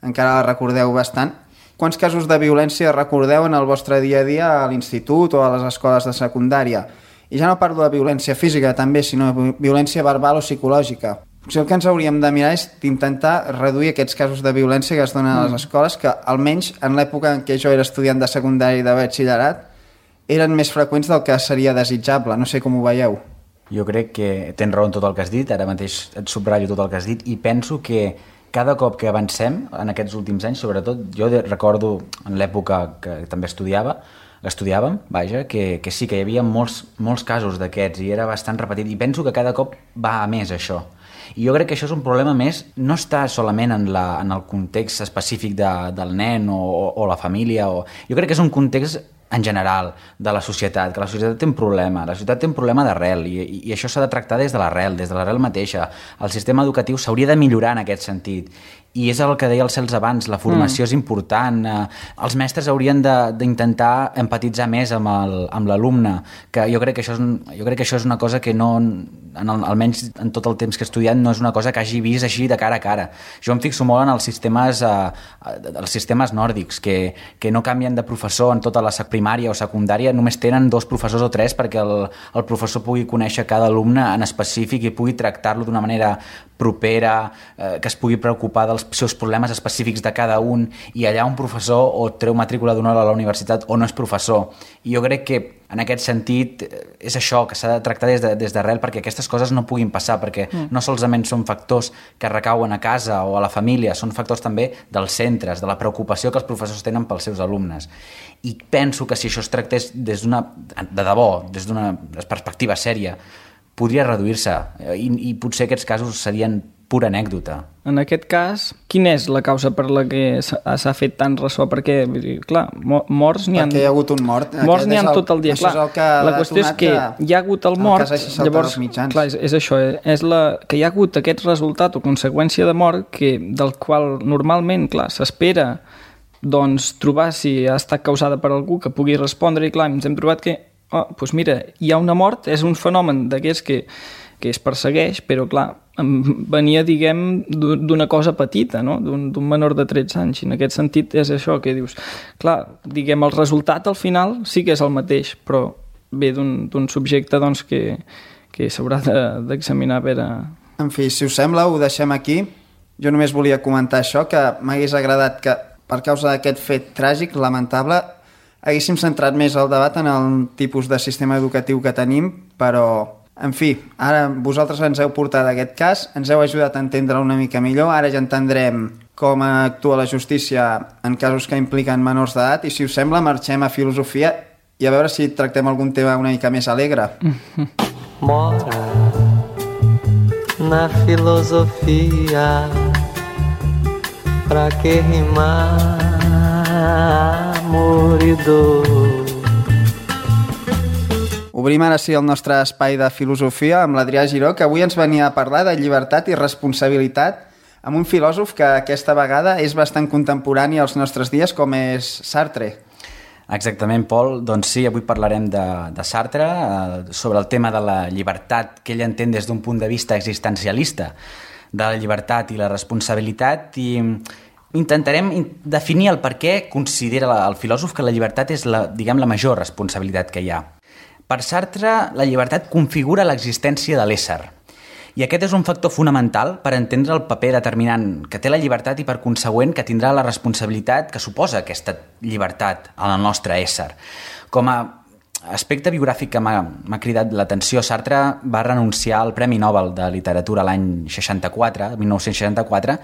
encara la recordeu bastant, quants casos de violència recordeu en el vostre dia a dia a l'institut o a les escoles de secundària? I ja no parlo de violència física també, sinó de violència verbal o psicològica. Potser el que ens hauríem de mirar és d'intentar reduir aquests casos de violència que es donen a les escoles, que almenys en l'època en què jo era estudiant de secundària i de batxillerat eren més freqüents del que seria desitjable. No sé com ho veieu. Jo crec que tens raó en tot el que has dit, ara mateix et subratllo tot el que has dit, i penso que cada cop que avancem en aquests últims anys, sobretot, jo recordo en l'època que també estudiava, estudiàvem, vaja, que, que sí, que hi havia molts, molts casos d'aquests i era bastant repetit, i penso que cada cop va a més això. I jo crec que això és un problema més, no està solament en, la, en el context específic de, del nen o, o, o la família, o... jo crec que és un context en general de la societat, que la societat té un problema, la societat té un problema d'arrel i, i, i això s'ha de tractar des de l'arrel, des de l'arrel mateixa. El sistema educatiu s'hauria de millorar en aquest sentit. I és el que deia el Cels abans, la formació mm. és important, eh, els mestres haurien d'intentar empatitzar més amb l'alumne, que jo crec que, això és, jo crec que això és una cosa que no, en el, almenys en tot el temps que he estudiat, no és una cosa que hagi vist així de cara a cara. Jo em fixo molt en els sistemes, eh, els sistemes nòrdics, que, que no canvien de professor en tota la primària o secundària, només tenen dos professors o tres perquè el, el professor pugui conèixer cada alumne en específic i pugui tractar-lo d'una manera propera, eh, que es pugui preocupar dels seus problemes específics de cada un, i allà un professor o treu matrícula d'honor a la universitat o no és professor. I jo crec que en aquest sentit és això, que s'ha de tractar des de, des d'arrel perquè aquestes coses no puguin passar, perquè mm. no solament són factors que recauen a casa o a la família, són factors també dels centres, de la preocupació que els professors tenen pels seus alumnes. I penso que si això es tractés des d'una, de debò, des d'una perspectiva sèria, podria reduir-se i, i potser aquests casos serien pura anècdota. En aquest cas, quina és la causa per la que s'ha fet tant ressò? Perquè, clar, morts n'hi ha... Perquè hi ha hagut un mort. Morts n'hi ha tot el dia. Clar, el la qüestió és que hi ha hagut el mort, el llavors, clar, és, és això, és la, que hi ha hagut aquest resultat o conseqüència de mort que, del qual normalment, clar, s'espera doncs, trobar si ha estat causada per algú que pugui respondre, i clar, ens hem trobat que oh, doncs mira, hi ha una mort, és un fenomen d'aquests que, que es persegueix, però clar, venia, diguem, d'una cosa petita, no? d'un menor de tretze anys, i en aquest sentit és això que dius, clar, diguem, el resultat al final sí que és el mateix, però ve d'un subjecte doncs, que, que s'haurà d'examinar a veure... En fi, si us sembla, ho deixem aquí. Jo només volia comentar això, que m'hagués agradat que, per causa d'aquest fet tràgic, lamentable, haguéssim centrat més el debat en el tipus de sistema educatiu que tenim, però, en fi, ara vosaltres ens heu portat aquest cas, ens heu ajudat a entendre una mica millor, ara ja entendrem com actua la justícia en casos que impliquen menors d'edat, i si us sembla marxem a filosofia i a veure si tractem algun tema una mica més alegre. Mora na filosofia, pra que rimar amor i dor. Obrim ara sí el nostre espai de filosofia amb l'Adrià Giró, que avui ens venia a parlar de llibertat i responsabilitat amb un filòsof que aquesta vegada és bastant contemporani als nostres dies, com és Sartre. Exactament, Pol. Doncs sí, avui parlarem de, de Sartre, eh, sobre el tema de la llibertat que ell entén des d'un punt de vista existencialista, de la llibertat i la responsabilitat, i intentarem definir el per què considera el filòsof que la llibertat és la, diguem, la major responsabilitat que hi ha. Per Sartre, la llibertat configura l'existència de l'ésser. I aquest és un factor fonamental per entendre el paper determinant que té la llibertat i, per consegüent, que tindrà la responsabilitat que suposa aquesta llibertat en el nostre ésser. Com a aspecte biogràfic que m'ha cridat l'atenció, Sartre va renunciar al Premi Nobel de Literatura l'any seixanta-quatre, mil nou-cents seixanta-quatre,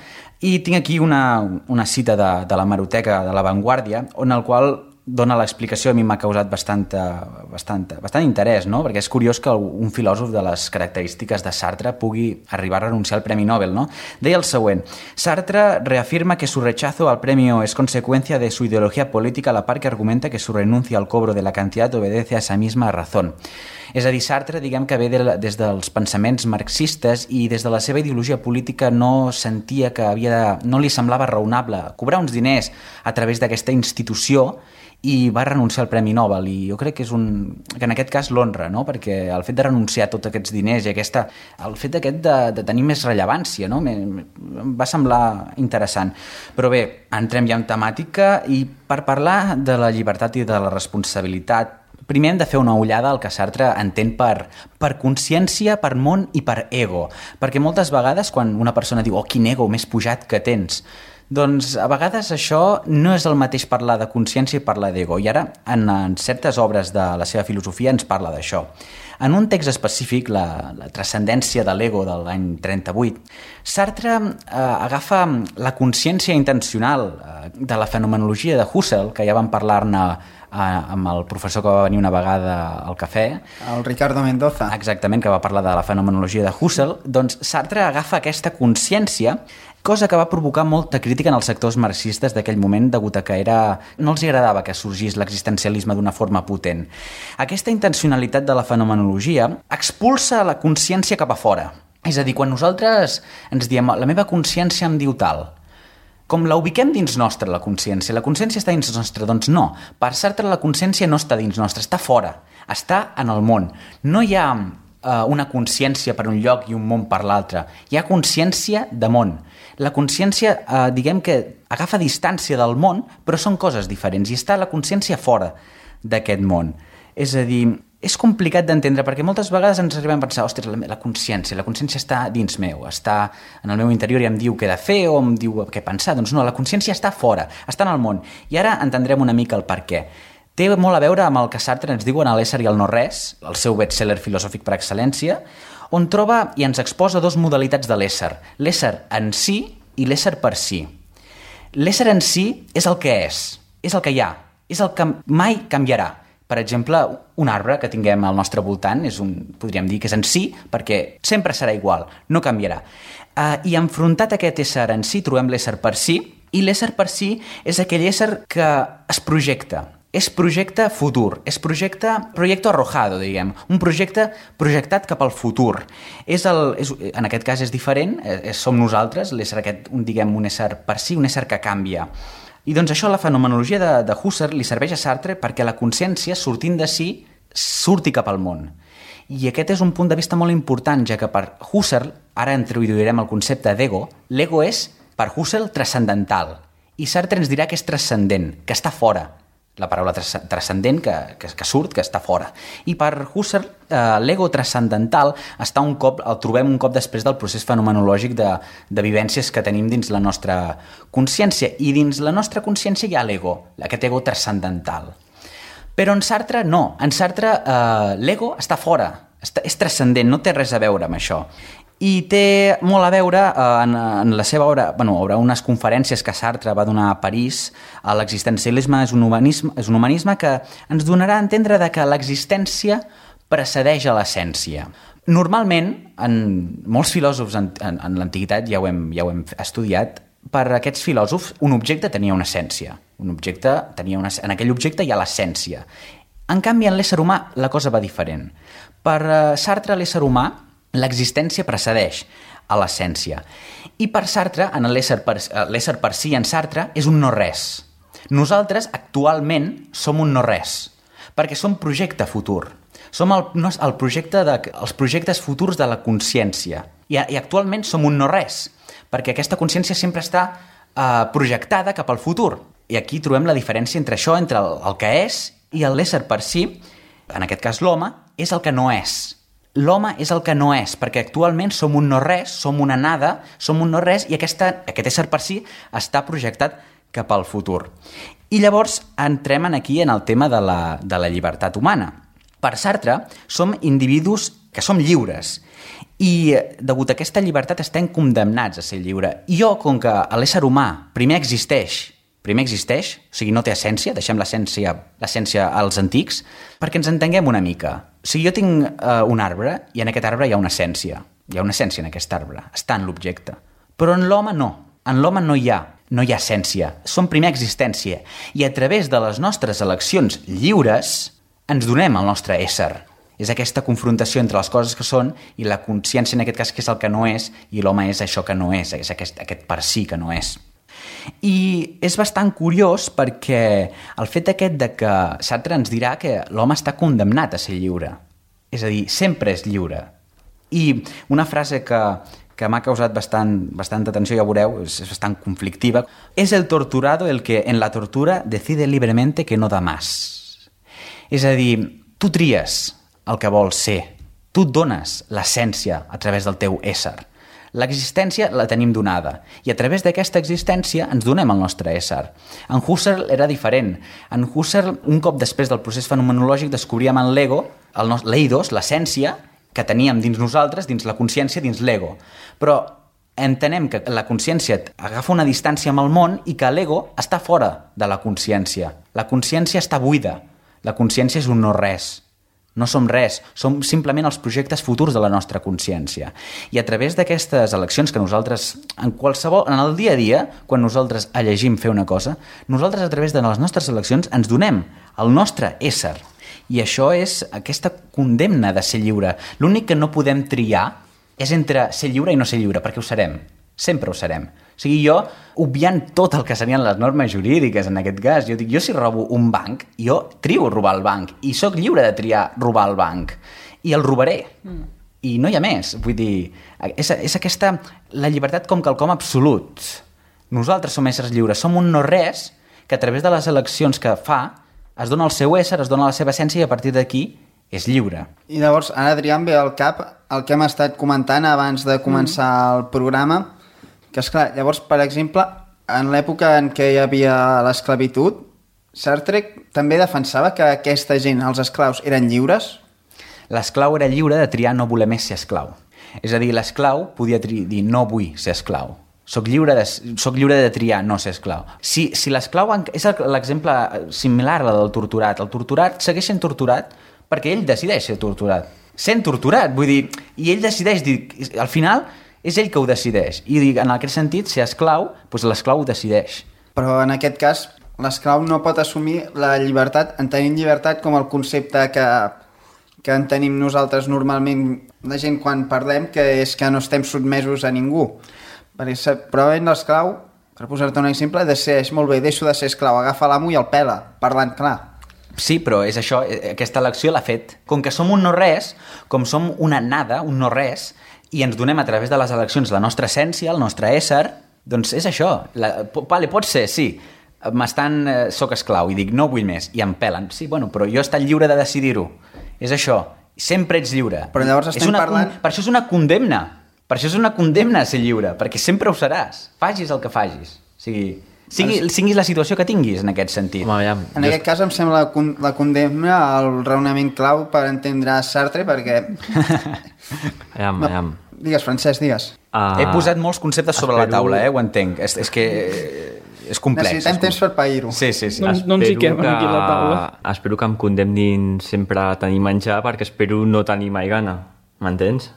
i tinc aquí una, una cita de, de la hemeroteca de La Vanguardia, on el qual dona l'explicació a mi m'ha causat bastant, bastant, bastant interès, no? Perquè és curiós que un filòsof de les característiques de Sartre pugui arribar a renunciar al Premi Nobel, no? Deia el següent: Sartre reafirma que su rechazo al premio es consecuencia de su ideología política a la par que argumenta que su renuncia al cobro de la cantidad obedece a esa misma razón. És a dir, Sartre, diguem que ve de, des dels pensaments marxistes i des de la seva ideologia política no sentia que havia de, no li semblava raonable cobrar uns diners a través d'aquesta institució i va renunciar al Premi Nobel, i jo crec que és un, que en aquest cas l'honra, no? Perquè el fet de renunciar a tots aquests diners i aquesta, el fet aquest de, de tenir més rellevància, no? Em va semblar interessant. Però bé, entrem ja en temàtica, i per parlar de la llibertat i de la responsabilitat, primer hem de fer una ullada al que Sartre entén per, per consciència, per món i per ego. Perquè moltes vegades quan una persona diu «Oh, quin ego més pujat que tens!», doncs a vegades això no és el mateix parlar de consciència i parlar d'ego. I ara, en, en certes obres de la seva filosofia ens parla d'això. En un text específic, la, la transcendència de l'ego de l'any trenta-vuit, Sartre eh, agafa la consciència intencional eh, de la fenomenologia de Husserl, que ja vam parlar-ne amb el professor que va venir una vegada al cafè. El Ricardo Mendoza. Exactament, que va parlar de la fenomenologia de Husserl. Doncs Sartre agafa aquesta consciència, cosa que va provocar molta crítica en els sectors marxistes d'aquell moment, degut a que era... no els agradava que sorgís l'existencialisme d'una forma potent. Aquesta intencionalitat de la fenomenologia expulsa la consciència cap a fora. És a dir, quan nosaltres ens diem la meva consciència em diu tal, com la ubiquem dins nostra, la consciència? La consciència està dins nostra? Doncs no. Per Sartre la consciència no està dins nostra, està fora, està en el món. No hi ha eh, una consciència per un lloc i un món per l'altre. Hi ha consciència de món. La consciència, eh, diguem que agafa distància del món, però són coses diferents, i està la consciència fora d'aquest món. És a dir, és complicat d'entendre perquè moltes vegades ens arribem a pensar, ostres, la, la consciència, la consciència està dins meu, està en el meu interior i em diu què he de fer o em diu què pensar. Doncs no, la consciència està fora, està en el món. I ara entendrem una mica el per què. Té molt a veure amb el que Sartre ens diu en l'ésser i el no res, el seu best-seller filosòfic per excel·lència, on troba i ens exposa dos modalitats de l'ésser, l'ésser en si i l'ésser per si. L'ésser en si és el que és, és el que hi ha, és el que mai canviarà. Per exemple, un arbre que tinguem al nostre voltant és un, podríem dir que és en si, perquè sempre serà igual, no canviarà. Uh, I enfrontat a aquest ésser en si trobem l'ésser per si, i l'ésser per si és aquell ésser que es projecta. És projecte futur, és projecte, projecte arrojado, diguem, un projecte projectat cap al futur. És el, és, en aquest cas és diferent, és, som nosaltres, l'ésser aquest, un, diguem, un ésser per si, un ésser que canvia. I doncs això, la fenomenologia de, de Husserl li serveix a Sartre perquè la consciència, sortint de si, surti cap al món. I aquest és un punt de vista molt important, ja que per Husserl, ara introduirem el concepte d'ego, l'ego és, per Husserl, transcendental. I Sartre ens dirà que és transcendent, que està fora. La paraula transcendent que, que, que surt, que està fora. I per Husserl, eh, l'ego transcendental està un cop, el trobem un cop després del procés fenomenològic de, de vivències que tenim dins la nostra consciència. I dins la nostra consciència hi ha l'ego, aquest ego transcendental. Però en Sartre no. En Sartre eh, l'ego està fora, està, és transcendent, no té res a veure amb això. I té molt a veure eh, en, en la seva obra, bueno, obra, unes conferències que Sartre va donar a París. L'existencialisme és un humanisme, és un humanisme que ens donarà a entendre de que l'existència precedeix a l'essència. Normalment, en molts filòsofs en, en, en l'antiguitat, ja ho hem, ja ho hem estudiat, per aquests filòsofs un objecte tenia una essència. Un objecte tenia una, en aquell objecte hi ha l'essència. En canvi, en l'ésser humà la cosa va diferent. Per eh, Sartre, l'ésser humà, l'existència precedeix a l'essència. I per Sartre, en l'ésser per, l'ésser per si en Sartre, és un no-res. Nosaltres, actualment, som un no-res, perquè som projecte futur. Som el, no, el projecte de, els projectes futurs de la consciència. I, I actualment som un no-res, perquè aquesta consciència sempre està eh, projectada cap al futur. I aquí trobem la diferència entre això, entre el, el que és i l'ésser per si, en aquest cas l'home, és el que no és. L'home és el que no és, perquè actualment som un no-res, som una nada, som un no-res, i aquesta, aquest ésser per si està projectat cap al futur. I llavors entrem aquí en el tema de la, de la llibertat humana. Per Sartre, som individus que som lliures, i degut a aquesta llibertat estem condemnats a ser lliure. I jo, com que l'ésser humà primer existeix, primer existeix, o sigui, no té essència, deixem l'essència l'essència als antics, perquè ens entenguem una mica. O sigui, jo tinc uh, un arbre i en aquest arbre hi ha una essència. Hi ha una essència en aquest arbre, està en l'objecte. Però en l'home no. En l'home no hi ha, no hi ha essència. Som primer existència. I a través de les nostres eleccions lliures ens donem el nostre ésser. És aquesta confrontació entre les coses que són i la consciència, en aquest cas, que és el que no és, i l'home és això que no és, és aquest, aquest per si que no és. I és bastant curiós perquè el fet aquest de que Sartre ens dirà que l'home està condemnat a ser lliure. És a dir, sempre és lliure. I una frase que, que m'ha causat bastant, bastanta atenció, ja veureu, és, és bastant conflictiva. És el torturado el que en la tortura decide libremente que no da más. És a dir, tu tries el que vols ser. Tu et dones l'essència a través del teu ésser. L'existència la tenim donada i a través d'aquesta existència ens donem el nostre ésser. En Husserl era diferent. En Husserl, un cop després del procés fenomenològic, descobríem en l'ego, l'eidos, l'essència, que teníem dins nosaltres, dins la consciència, dins l'ego. Però entenem que la consciència agafa una distància amb el món i que l'ego està fora de la consciència. La consciència està buida. La consciència és un no-res. No som res, som simplement els projectes futurs de la nostra consciència. I a través d'aquestes eleccions que nosaltres, en qualsevol, en el dia a dia, quan nosaltres elegim fer una cosa, nosaltres a través de les nostres eleccions ens donem el nostre ésser. I això és aquesta condemna de ser lliure. L'únic que no podem triar és entre ser lliure i no ser lliure, perquè ho serem. Sempre ho serem. O sigui, jo, obviant tot el que serien les normes jurídiques en aquest cas, jo dic, jo si robo un banc, jo trio robar el banc i sóc lliure de triar robar el banc i el robaré. Mm. I no hi ha més. Vull dir, és, és aquesta, la llibertat com quelcom absolut. Nosaltres som éssers lliures, som un no-res que a través de les eleccions que fa es dona el seu ésser, es dona la seva essència i a partir d'aquí és lliure. I llavors, ara, Adrià, em ve al cap el que hem estat comentant abans de començar mm. el programa, que esclar, llavors, per exemple, en l'època en què hi havia l'esclavitud, Sartre també defensava que aquesta gent, els esclaus, eren lliures? L'esclau era lliure de triar no voler més ser esclau. És a dir, l'esclau podia dir no vull ser esclau. Soc lliure de, soc lliure de triar no ser esclau. Si, si l'esclau... És l'exemple similar al del torturat. El torturat segueix sent torturat perquè ell decideix ser torturat. Sent torturat, vull dir... I ell decideix dir... Al final... és ell que ho decideix. I en aquest sentit, ser esclau, doncs l'esclau ho decideix. Però en aquest cas, l'esclau no pot assumir la llibertat, entenent llibertat com el concepte que, que en tenim nosaltres normalment, la gent quan parlem, que és que no estem sotmesos a ningú. Perquè probablement l'esclau, per posar-te un exemple, decideix, molt bé, deixo de ser esclau, agafa l'amo i el pela, parlant clar. Sí, però és això, aquesta elecció l'ha fet. Com que som un no-res, com som una nada, un no-res, i ens donem a través de les eleccions la nostra essència, el nostre ésser, doncs és això. La, vale, pot ser, sí, m'estan, eh, soc esclau i dic no vull més, i em pelen. Sí, bueno, però jo he estat lliure de decidir-ho. És això, sempre ets lliure. Però llavors estem una, parlant... Per això és una condemna. Per això és una condemna a ser lliure, perquè sempre ho seràs. Fagis el que fagis. O sigui... Sigui, siguis la situació que tinguis, en aquest sentit. Home, ja, en jo... aquest cas em sembla la, la condemna al raonament clau per entendre Sartre, perquè... Aviam, no, aviam. Digues, Francesc, digues. Uh, He posat molts conceptes sobre espero... la taula, eh? Ho entenc. És, és que és complex. Necessitem és temps per pair-ho. Sí, sí, sí. No, no ens hi quedem aquí a la taula. Espero que em condemnin sempre a tenir menjar, perquè espero no tenir mai gana. M'entens?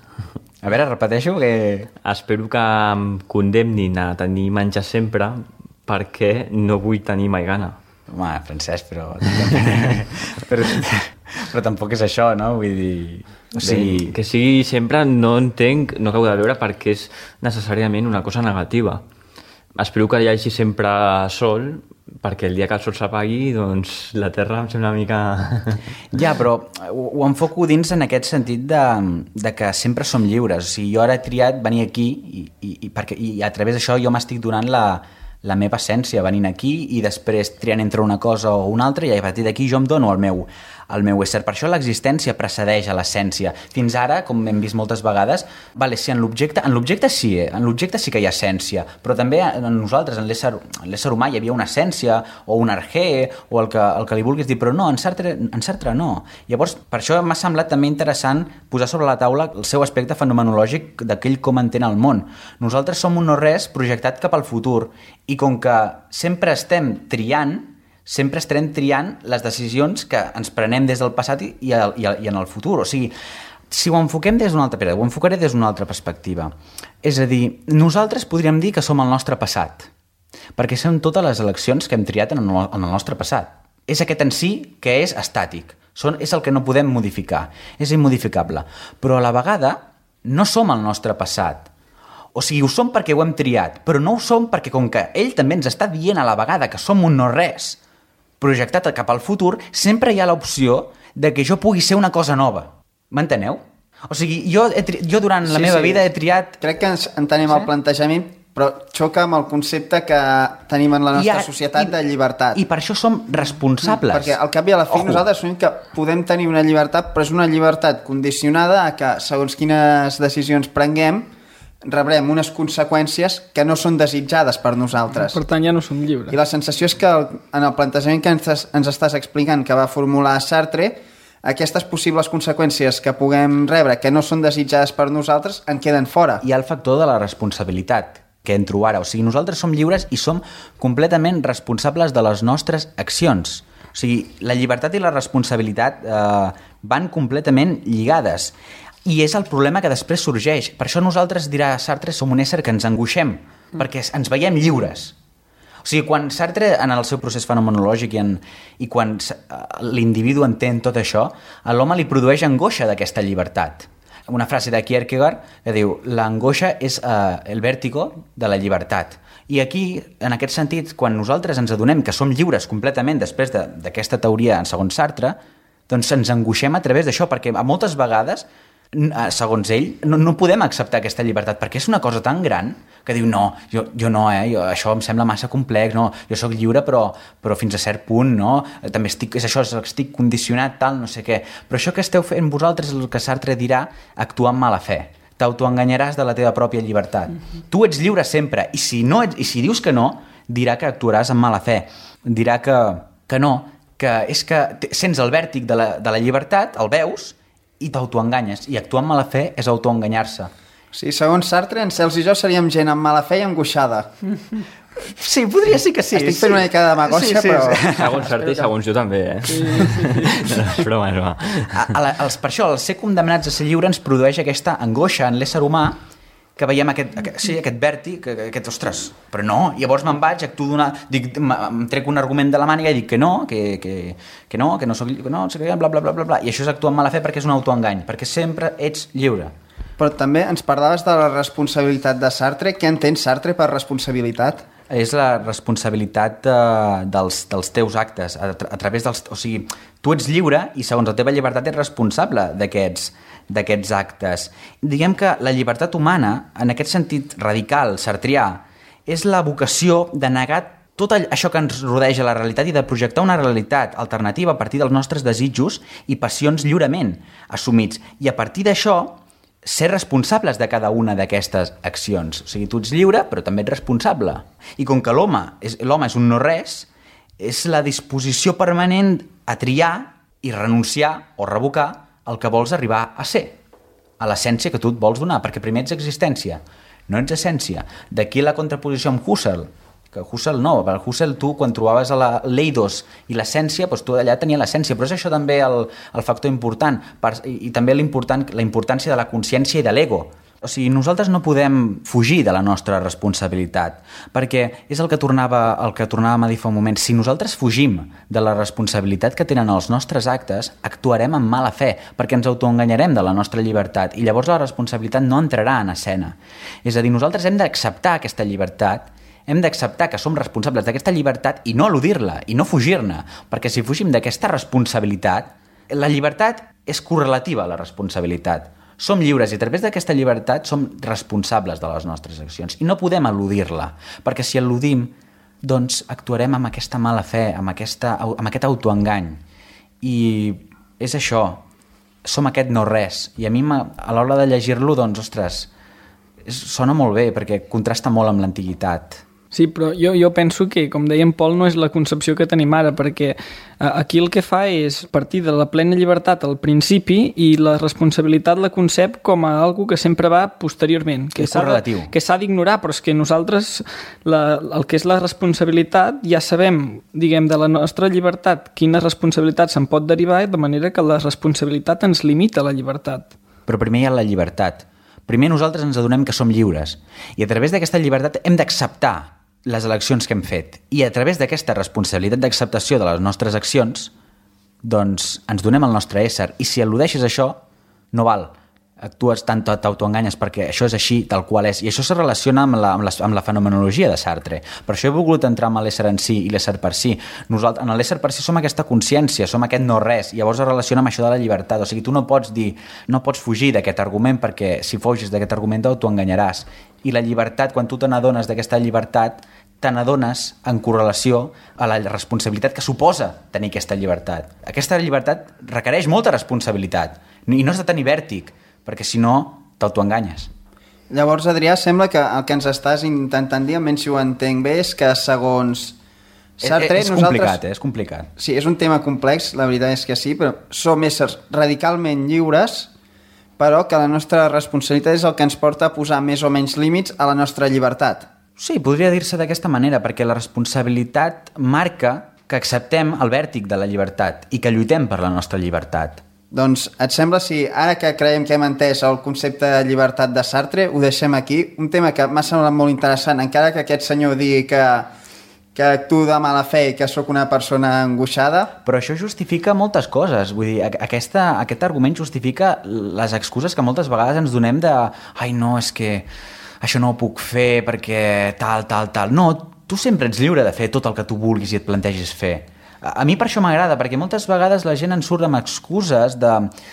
A veure, repeteixo que... Espero que em condemnin a tenir menjar sempre, perquè no vull tenir mai gana. Home, Francesc, però... però... però tampoc és això, no? Vull dir... O sigui... Bé, que sigui sempre, no entenc, no acabo de veure per què és necessàriament una cosa negativa. Espero que hi hagi sempre sol, perquè el dia que el sol s'apagui, doncs la Terra em sembla una mica... Ja, però ho, ho enfoco dins en aquest sentit de, de que sempre som lliures. O sigui, jo ara he triat venir aquí i, i, i, perquè, i a través d'això jo m'estic donant la... la meva essència venint aquí i després triant entre una cosa o una altra i a partir d'aquí jo em dono el meu, el meu ésser. Per això l'existència precedeix a l'essència. Fins ara, com hem vist moltes vegades, vale, sí, en l'objecte en l'objecte sí, eh? en l'objecte sí que hi ha essència, però també en nosaltres, en l'ésser, en l'ésser humà, hi havia una essència, o un arqué, o el que, el que li vulguis dir, però no, en Sartre, en Sartre no. Llavors, per això m'ha semblat també interessant posar sobre la taula el seu aspecte fenomenològic d'aquell com entén el món. Nosaltres som un no-res projectat cap al futur, i com que sempre estem triant, sempre estarem triant les decisions que ens prenem des del passat i, i, i, i en el futur. O sigui, si ho enfoquem des d'una altra perspectiva, ho enfocaré des d'una altra perspectiva. És a dir, nosaltres podríem dir que som el nostre passat, perquè són totes les eleccions que hem triat en el, en el nostre passat. És aquest en si que és estàtic, són, és el que no podem modificar, és immodificable. Però a la vegada no som el nostre passat. O sigui, ho som perquè ho hem triat, però no ho som perquè, com que ell també ens està dient a la vegada que som un no-res projectat cap al futur, sempre hi ha l'opció de que jo pugui ser una cosa nova. M'enteneu? O sigui, jo, he tri... jo durant la sí, meva sí. vida he triat... Crec que ens entenem sí? el plantejament, però xoca amb el concepte que tenim en la nostra ha... societat I... de llibertat. I per això som responsables. Perquè al cap i a la fi Ojo. nosaltres som que podem tenir una llibertat, però és una llibertat condicionada a que, segons quines decisions prenguem, rebrem unes conseqüències que no són desitjades per nosaltres. Per tant, ja no som lliures. I la sensació és que el, en el plantejament que ens, ens estàs explicant, que va formular Sartre, aquestes possibles conseqüències que puguem rebre, que no són desitjades per nosaltres, en queden fora. Hi ha el factor de la responsabilitat que entro ara. O sigui, nosaltres som lliures i som completament responsables de les nostres accions. O sigui, la llibertat i la responsabilitat eh, van completament lligades. I és el problema que després sorgeix. Per això nosaltres, dirà Sartre, som un ésser que ens angoixem, mm. perquè ens veiem lliures. O sigui, quan Sartre, en el seu procés fenomenològic i, en, i quan l'individu entén tot això, a l'home li produeix angoixa d'aquesta llibertat. Una frase de Kierkegaard que diu: l'angoixa és uh, el vèrtigo de la llibertat. I aquí, en aquest sentit, quan nosaltres ens adonem que som lliures completament després d'aquesta teoria, segons Sartre, doncs ens angoixem a través d'això, perquè a moltes vegades, segons ell, no, no podem acceptar aquesta llibertat, perquè és una cosa tan gran que diu, no, jo, jo no, eh, jo, això em sembla massa complex, no, jo sóc lliure però, però fins a cert punt, no, també estic, és això, estic condicionat, tal, no sé què, però això que esteu fent vosaltres és el que Sartre dirà actuar amb mala fe, t'autoenganyaràs de la teva pròpia llibertat. Mm-hmm. Tu ets lliure sempre, i si, no ets, i si dius que no, dirà que actuaràs amb mala fe, dirà que, que no, que és que sents el vèrtic de la, de la llibertat, el veus, i t'autoenganyes, i actuar amb mala fe és autoenganyar-se. Sí, segons Sartre, en Cels i jo seríem gent amb mala fe i angoixada. Sí, podria ser que sí. Estic fent una mica de demagògia, sí, sí, però... Sí. Segons Sartre i segons jo també, eh? Sí, sí, sí. No, és broma, és broma. A, a la, els, per això, el ser condemnats a ser lliure ens produeix aquesta angoixa en l'ésser humà, que veiem aquest, aquest, sí, aquest vèrtic, aquest, ostres, però no, llavors me'n vaig, actuo d'una, dic, em trec un argument de la màniga i dic que no, que, que, que no, que no soc lliure, que no, bla, bla, bla, bla, bla, i això és actuar amb mala fe perquè és un autoengany, perquè sempre ets lliure. Però també ens parlaves de la responsabilitat de Sartre. Què entén Sartre per responsabilitat? És la responsabilitat de, dels, dels teus actes, a, a través dels... O sigui, tu ets lliure i segons la teva llibertat ets responsable d'aquests d'aquests actes. Diguem que la llibertat humana, en aquest sentit radical, sartrià, és la vocació de negar tot això que ens rodeja la realitat i de projectar una realitat alternativa a partir dels nostres desitjos i passions lliurement assumits. I a partir d'això, ser responsables de cada una d'aquestes accions. O sigui, tu ets lliure, però també ets responsable. I com que l'home és, l'home és un no-res, és la disposició permanent a triar i renunciar o revocar el que vols arribar a ser, a l'essència que tu et vols donar, perquè primer ets existència, no ets essència. D'aquí la contraposició amb Husserl, que Husserl no, per Husserl tu quan trobaves a la l'eidos i l'essència, doncs tu allà tenia l'essència, però és això també el, el factor important, per, i, i també l'important, la importància de la consciència i de l'ego. O sigui, nosaltres no podem fugir de la nostra responsabilitat, perquè és el que tornava, el que tornàvem a dir fa un moment. Si nosaltres fugim de la responsabilitat que tenen els nostres actes, actuarem amb mala fe, perquè ens autoenganyarem de la nostra llibertat, i llavors la responsabilitat no entrarà en escena. És a dir, nosaltres hem d'acceptar aquesta llibertat, hem d'acceptar que som responsables d'aquesta llibertat i no eludir-la, i no fugir-ne, perquè si fugim d'aquesta responsabilitat, la llibertat és correlativa a la responsabilitat. Som lliures i a través d'aquesta llibertat som responsables de les nostres accions i no podem eludir-la, perquè si eludim, doncs actuarem amb aquesta mala fe, amb, aquesta, amb aquest autoengany. I és això, som aquest no res, i a mi a l'hora de llegir-lo, doncs, ostres, sona molt bé, perquè contrasta molt amb l'antiguitat. Sí, però jo, jo penso que, com deia en Pol, no és la concepció que tenim ara, perquè aquí el que fa és partir de la plena llibertat al principi i la responsabilitat la concep com a algo que sempre va posteriorment, que és correlatiu, que s'ha d'ignorar, però és que nosaltres la, el que és la responsabilitat ja sabem, diguem, de la nostra llibertat quina responsabilitat se'n pot derivar, de manera que la responsabilitat ens limita la llibertat. Però primer hi ha la llibertat. Primer nosaltres ens adonem que som lliures i a través d'aquesta llibertat hem d'acceptar les eleccions que hem fet i a través d'aquesta responsabilitat d'acceptació de les nostres accions doncs ens donem el nostre ésser i si al·ludeixes això no val, actues tant, t'autoenganyes perquè això és així, tal qual és i això se relaciona amb la, amb, la, amb la fenomenologia de Sartre, per això he volgut entrar amb l'ésser en si i l'ésser per si. Nosaltres, en l'ésser per si som aquesta consciència, som aquest no res i llavors es relaciona amb això de la llibertat, o sigui, tu no pots dir, no pots fugir d'aquest argument perquè si fugis d'aquest argument t'autoenganyaràs i la llibertat, quan tu te n'adones d'aquesta llibertat te n'adones en correlació a la responsabilitat que suposa tenir aquesta llibertat. Aquesta llibertat requereix molta responsabilitat i no has de tenir vèrtic, perquè si no t'autoenganyes. Llavors, Adrià, sembla que el que ens estàs intentant dir, almenys si ho entenc bé, és que segons Sartre... És, és nosaltres... complicat, eh? És complicat. Sí, és un tema complex, la veritat és que sí, però som éssers radicalment lliures, però que la nostra responsabilitat és el que ens porta a posar més o menys límits a la nostra llibertat. Sí, podria dir-se d'aquesta manera, perquè la responsabilitat marca que acceptem el vèrtic de la llibertat i que lluitem per la nostra llibertat. Doncs et sembla si ara que creiem que hem entès el concepte de llibertat de Sartre, ho deixem aquí? Un tema que m'ha semblat molt interessant, encara que aquest senyor digui que, que actuo de mala fe i que sóc una persona angoixada. Però això justifica moltes coses, vull dir, aquesta, aquest argument justifica les excuses que moltes vegades ens donem de ai no, és que això no ho puc fer perquè tal, tal, tal. No, tu sempre ets lliure de fer tot el que tu vulguis i et plantegis fer. A mi per això m'agrada, perquè moltes vegades la gent en surt amb excuses de,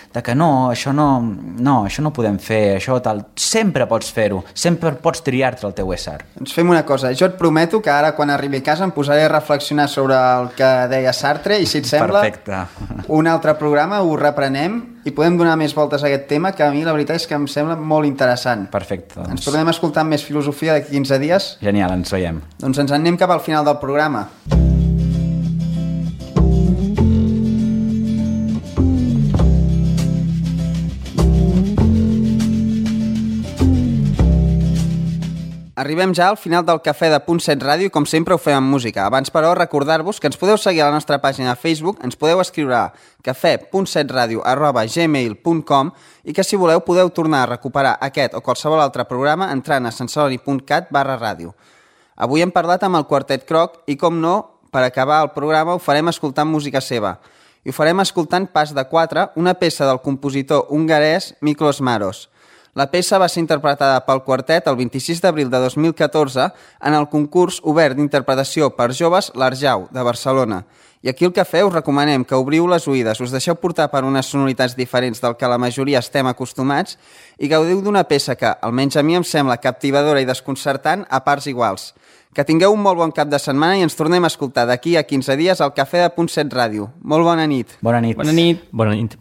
de que no, això no, no, això no podem fer, això tal. Sempre pots fer-ho, sempre pots triar-te el teu ésser. Doncs fem una cosa, jo et prometo que ara quan arribi a casa em posaré a reflexionar sobre el que deia Sartre i si et sembla, perfecte, un altre programa ho reprenem i podem donar més voltes a aquest tema que a mi la veritat és que em sembla molt interessant. Perfecte. Doncs... Ens tornem a escoltar amb més filosofia d'aquí quinze dies. Genial, ens veiem. Doncs ens en anem cap al final del programa. Arribem ja al final del Cafè de Punt set Ràdio i com sempre ho fem amb música. Abans, però, recordar-vos que ens podeu seguir a la nostra pàgina de Facebook, ens podeu escriure a cafè punt set ràdio arroba gmail punt com i que si voleu podeu tornar a recuperar aquest o qualsevol altre programa entrant a sensori punt cat barra ràdio. Avui hem parlat amb el Quartet Croc i, com no, per acabar el programa ho farem escoltant música seva. I ho farem escoltant Pas de Quatre, una peça del compositor hongarès Miklos Maros. La peça va ser interpretada pel quartet el vint-i-sis d'abril de dos mil catorze en el concurs obert d'interpretació per joves l'Arjau, de Barcelona. I aquí al Cafè us recomanem que obriu les oïdes, us deixeu portar per unes sonoritats diferents del que la majoria estem acostumats i gaudiu d'una peça que, almenys a mi, em sembla captivadora i desconcertant a parts iguals. Que tingueu un molt bon cap de setmana i ens tornem a escoltar d'aquí a quinze dies al Cafè de Punt set Ràdio. Molt bona nit. Bona nit. Bona nit. Bona nit.